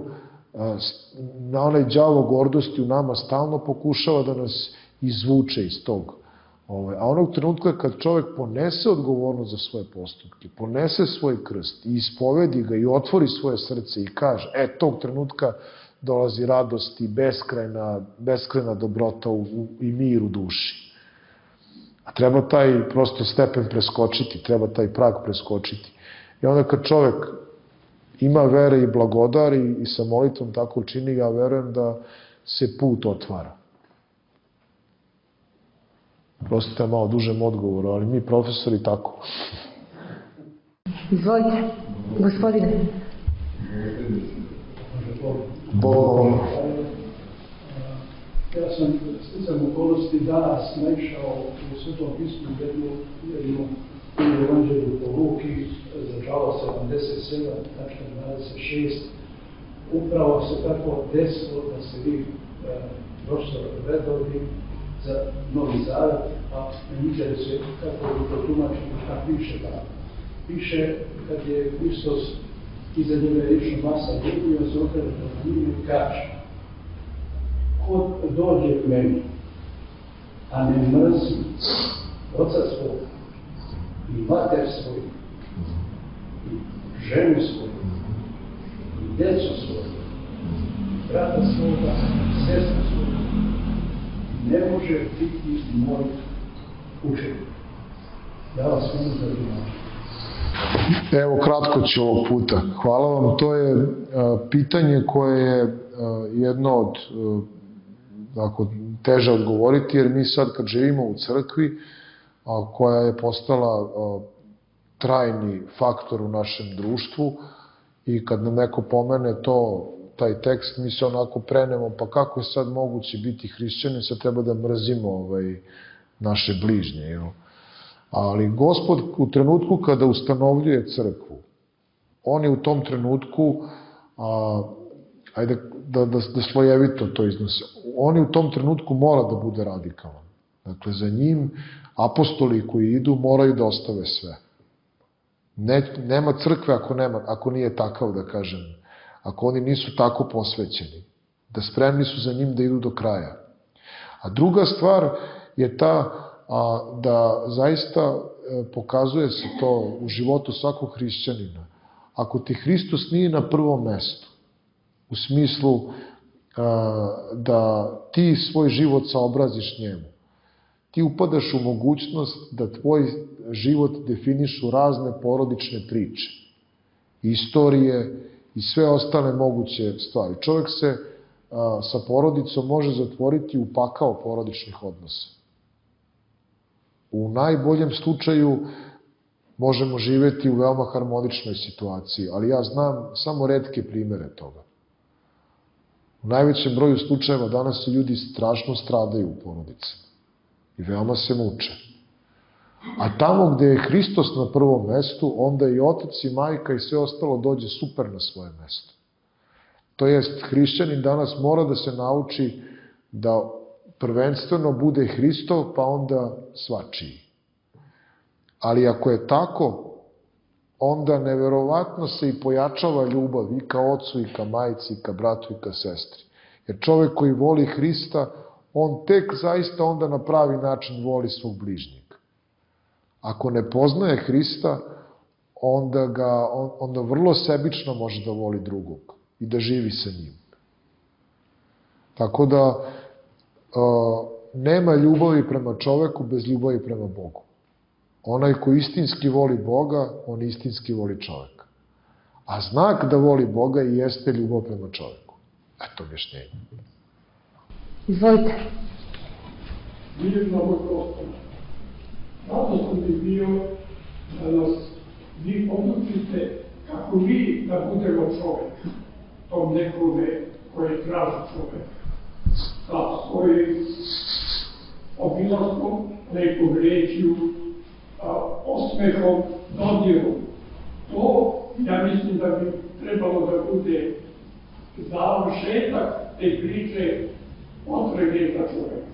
na onaj đavo gordosti u nama stalno pokušava da nas izvuče iz tog. A onog trenutka kad čovek ponese odgovornost za svoje postupke, ponese svoj krst i ispovedi ga i otvori svoje srce i kaže, tog trenutka dolazi radost i beskrajna dobrota i mir u duši. A treba taj prosto stepen preskočiti, treba taj prag preskočiti. I onda kad čovek ima vere i blagodari i sa molitvom tako čini, ja verujem da se put otvara. Prostite malo dužem odgovoru, ali mi profesori tako. Izvolite, gospodine. Bogom. Ja sam sticam okolnosti danas naišao u Svetom pismu jednu evanđelju po Luki za čalo 77.26. Upravo se tako desilo da se vi profesor redovni za Novi Zavet, a me interesuje kako bi to tumačimo šta piše tamo. Piše kad je Hristos iza njega riječno masa ljudi, on se okrene na njih i kaže: ko dođe k meni, a ne mrzi oca svog i mater svoju i ženu svoju i djecu svoju i brata svoga i sestru svoju, ne može biti moj učenik. Ja vas molim za tumačenje. Evo, kratko ću ovog puta. Hvala vam. To je pitanje koje je jedno od teže odgovoriti, jer mi sad kad živimo u crkvi, koja je postala trajni faktor u našem društvu, i kad nam neko pomene taj tekst, mi se onako prenemo, pa kako je sad moguće biti hrišćanin, sad treba da mrzimo naše bližnje, jel? Ali Gospod u trenutku kada ustanovljuje crkvu, on je u tom trenutku, ajde da slojevito to iznose, on je u tom trenutku mora da bude radikalan. Dakle, za njim apostoli koji idu moraju da ostave sve. Nema crkve ako nije takav, da kažem, ako oni nisu tako posvećeni, da spremni su za njim da idu do kraja. A druga stvar je ta da zaista pokazuje se to u životu svakog hrišćanina. Ako ti Hristos nije na prvom mestu, u smislu da ti svoj život saobraziš njemu, ti upadaš u mogućnost da tvoj život definišu razne porodične priče, istorije i sve ostale moguće stvari. Čovjek se sa porodicom može zatvoriti u pakao porodičnih odnosa. U najboljem slučaju možemo živeti u veoma harmoničnoj situaciji, ali ja znam samo retke primere toga. U najvećem broju slučajeva danas ljudi strašno stradaju u porodicama i veoma se muče. A tamo gde je Hristos na prvom mestu, onda i otac i majka i sve ostalo dođe super na svoje mesto. To jest, hrišćanin danas mora da se nauči da prvenstveno bude Hristov, pa onda svačiji. Ali ako je tako, onda neverovatno se i pojačava ljubav i ka ocu, i ka majci, i ka bratu, i ka sestri. Jer čovek koji voli Hrista, on tek zaista onda na pravi način voli svog bližnjega. Ako ne poznaje Hrista, onda vrlo sebično može da voli drugog i da živi sa njim. Tako da nema ljubavi prema čoveku bez ljubavi prema Bogu. Onaj ko istinski voli Boga, on istinski voli čoveka. A znak da voli Boga i jeste ljubav prema čoveku. Eto objašnjenje. Izvolite. Mirno moj Gospod, radosno bi bio da nas vi podučite kako mi da budemo čovek, tom nekome koji traži čovek, sa svojim obilaskom, lepom rečju, osmehom, dodirom. To, ja mislim da bi trebalo da bude završetak te priče potrebe za čoveka.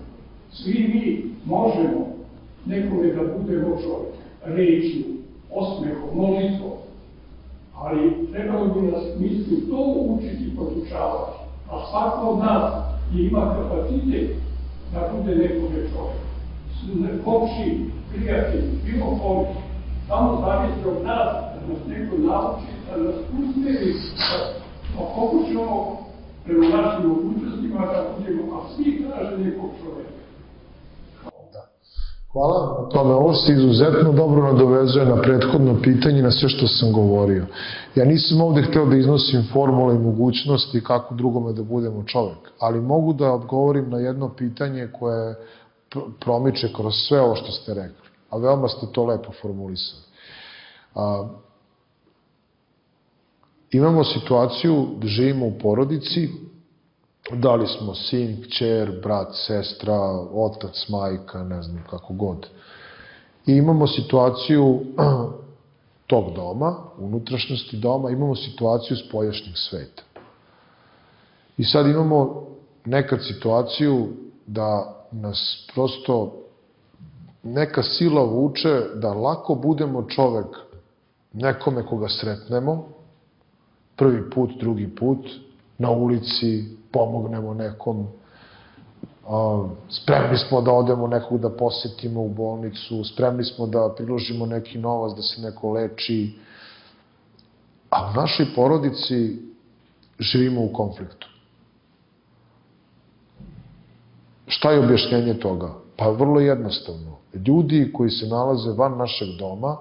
Svi mi možemo nekome da budemo čovek, rečju, osmehom, molitvom, ali trebalo bi nas misli to učiti i podučavati. A svako od nas ima kapacitet da bude nekome čovek. Komši, prijatelj, bilo kome, samo zavisi od nas da nas neko nauči, da nas usmeri, da pokušamo prema našim mogućnostima da budemo, a svi traže nekog čoveka. Hvala na tome. Ovo se izuzetno dobro nadovezuje na prethodno pitanje, na sve što sam govorio. Ja nisam ovde hteo da iznosim formule i mogućnosti kako drugome da budemo čovek, ali mogu da odgovorim na jedno pitanje koje promiče kroz sve ovo što ste rekli, a veoma ste to lepo formulisali. Imamo situaciju da živimo u porodici, da li smo sin, kćer, brat, sestra, otac, majka, ne znam kako god. I imamo situaciju tog doma, unutrašnjosti doma, imamo situaciju spoljašnjeg sveta. I sad imamo nekad situaciju da nas prosto neka sila vuče da lako budemo čovek nekome koga sretnemo, prvi put, drugi put, na ulici, pomognemo nekom, spremni smo da odemo nekog da posetimo u bolnicu, spremni smo da priložimo neki novac da se neko leči, a u našoj porodici živimo u konfliktu. Šta je objašnjenje toga? Pa vrlo jednostavno. Ljudi koji se nalaze van našeg doma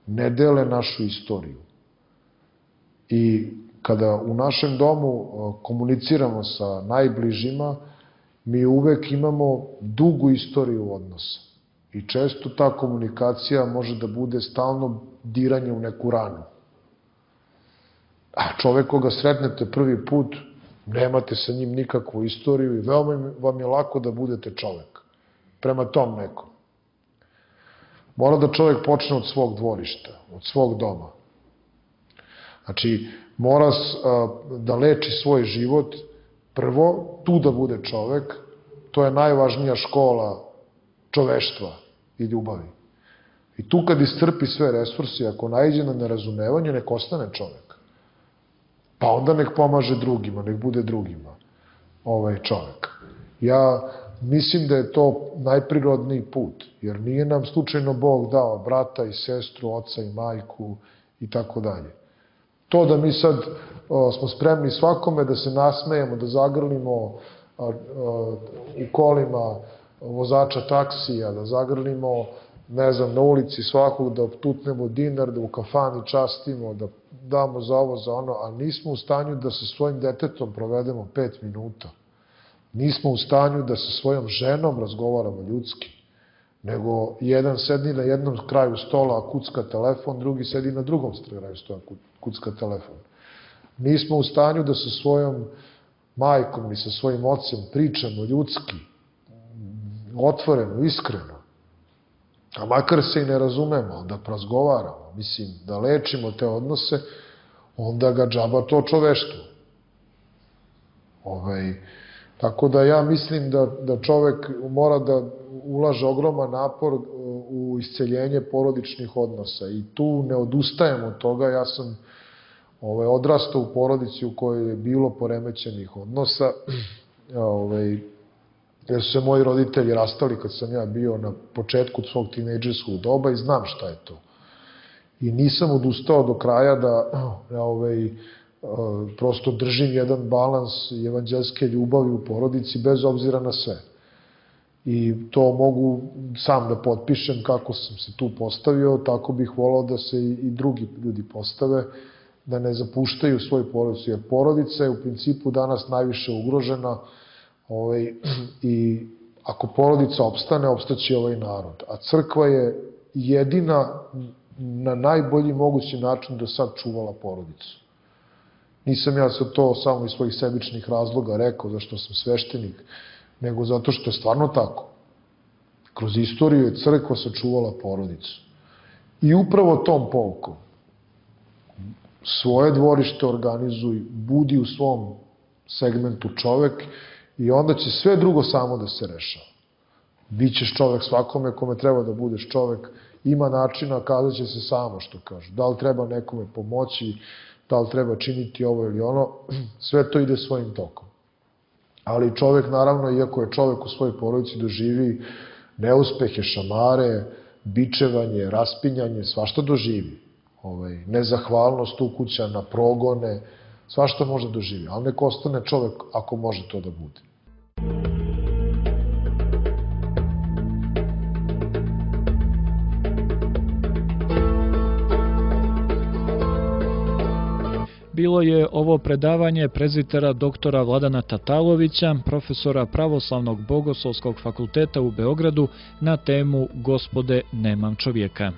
ne dele našu istoriju. I kada u našem domu komuniciramo sa najbližima, mi uvek imamo dugu istoriju odnosa. I često ta komunikacija može da bude stalno diranje u neku ranu. A čovek koga sretnete prvi put, nemate sa njim nikakvu istoriju i veoma vam je lako da budete čovek prema tom nekom. Mora da čovek počne od svog dvorišta, od svog doma. Znači, mora da leči svoj život, prvo, tu da bude čovek, to je najvažnija škola čoveštva i ljubavi. I tu kad iscrpi sve resursi, ako naiđe na nerazumevanje, nek ostane čovek. Pa onda nek pomaže drugima, nek bude drugima čovek. Ja mislim da je to najprirodniji put, jer nije nam slučajno Bog dao brata i sestru, oca i majku i tako dalje. To da mi sad smo spremni svakome da se nasmejemo, da zagrlimo u kolima vozača taksija, da zagrlimo, ne znam, na ulici svakog, da tutnemo dinar, da u kafani častimo, da damo za ovo, za ono, a nismo u stanju da sa svojim detetom provedemo 5 minuta. Nismo u stanju da sa svojom ženom razgovaramo ljudski, nego jedan sedi na jednom kraju stola, a kucka telefon, drugi sedi na drugom kraju stola, kucka telefon. Nismo u stanju da sa svojom majkom i sa svojim ocem pričamo ljudski, otvoreno, iskreno. A makar se i ne razumemo, da razgovaramo, mislim, da lečimo te odnose, onda ga džaba to čoveštvo. Tako da ja mislim da čovek mora da ulaže ogroman napor u isceljenje porodičnih odnosa i tu ne odustajem od toga. Ja sam odrastao u porodici u kojoj je bilo poremećenih odnosa, jer su se moji roditelji rastali kad sam ja bio na početku svog tinejdžerskog doba i znam šta je to. I nisam odustao do kraja da prosto držim jedan balans evanđelske ljubavi u porodici bez obzira na sve. I to mogu sam da potpišem kako sam se tu postavio, tako bih volao da se i drugi ljudi postave, da ne zapuštaju svoju porodicu, jer porodica je u principu danas najviše ugrožena i ako porodica opstane, opstaće ovaj narod. A crkva je jedina na najbolji mogući način do sad čuvala porodicu. Nisam ja sad to samo iz svojih sebičnih razloga rekao, zašto sam sveštenik, nego zato što je stvarno tako. Kroz istoriju je crkva sačuvala porodicu. I upravo tom poukom svoje dvorište organizuj, budi u svom segmentu čovek i onda će sve drugo samo da se rešava. Bićeš čovek svakome kome treba da budeš čovek, ima načina, kazat će se samo što kaže. Da li treba nekome pomoći, da li treba činiti ovo ili ono, sve to ide svojim tokom. Ali čovek, naravno, iako je čovek u svojoj porodici, doživi neuspehe, šamare, bičevanje, raspinjanje, svašta doživi. Nezahvalnost ukućana, progone, svašta može doživi. Ali nek ostane čovek ako može to da bude. Bilo je ovo predavanje prezbitera doktora Vladana Tatalovića, profesora Pravoslavnog bogoslovskog fakulteta u Beogradu, na temu Gospode, nemam čovjeka.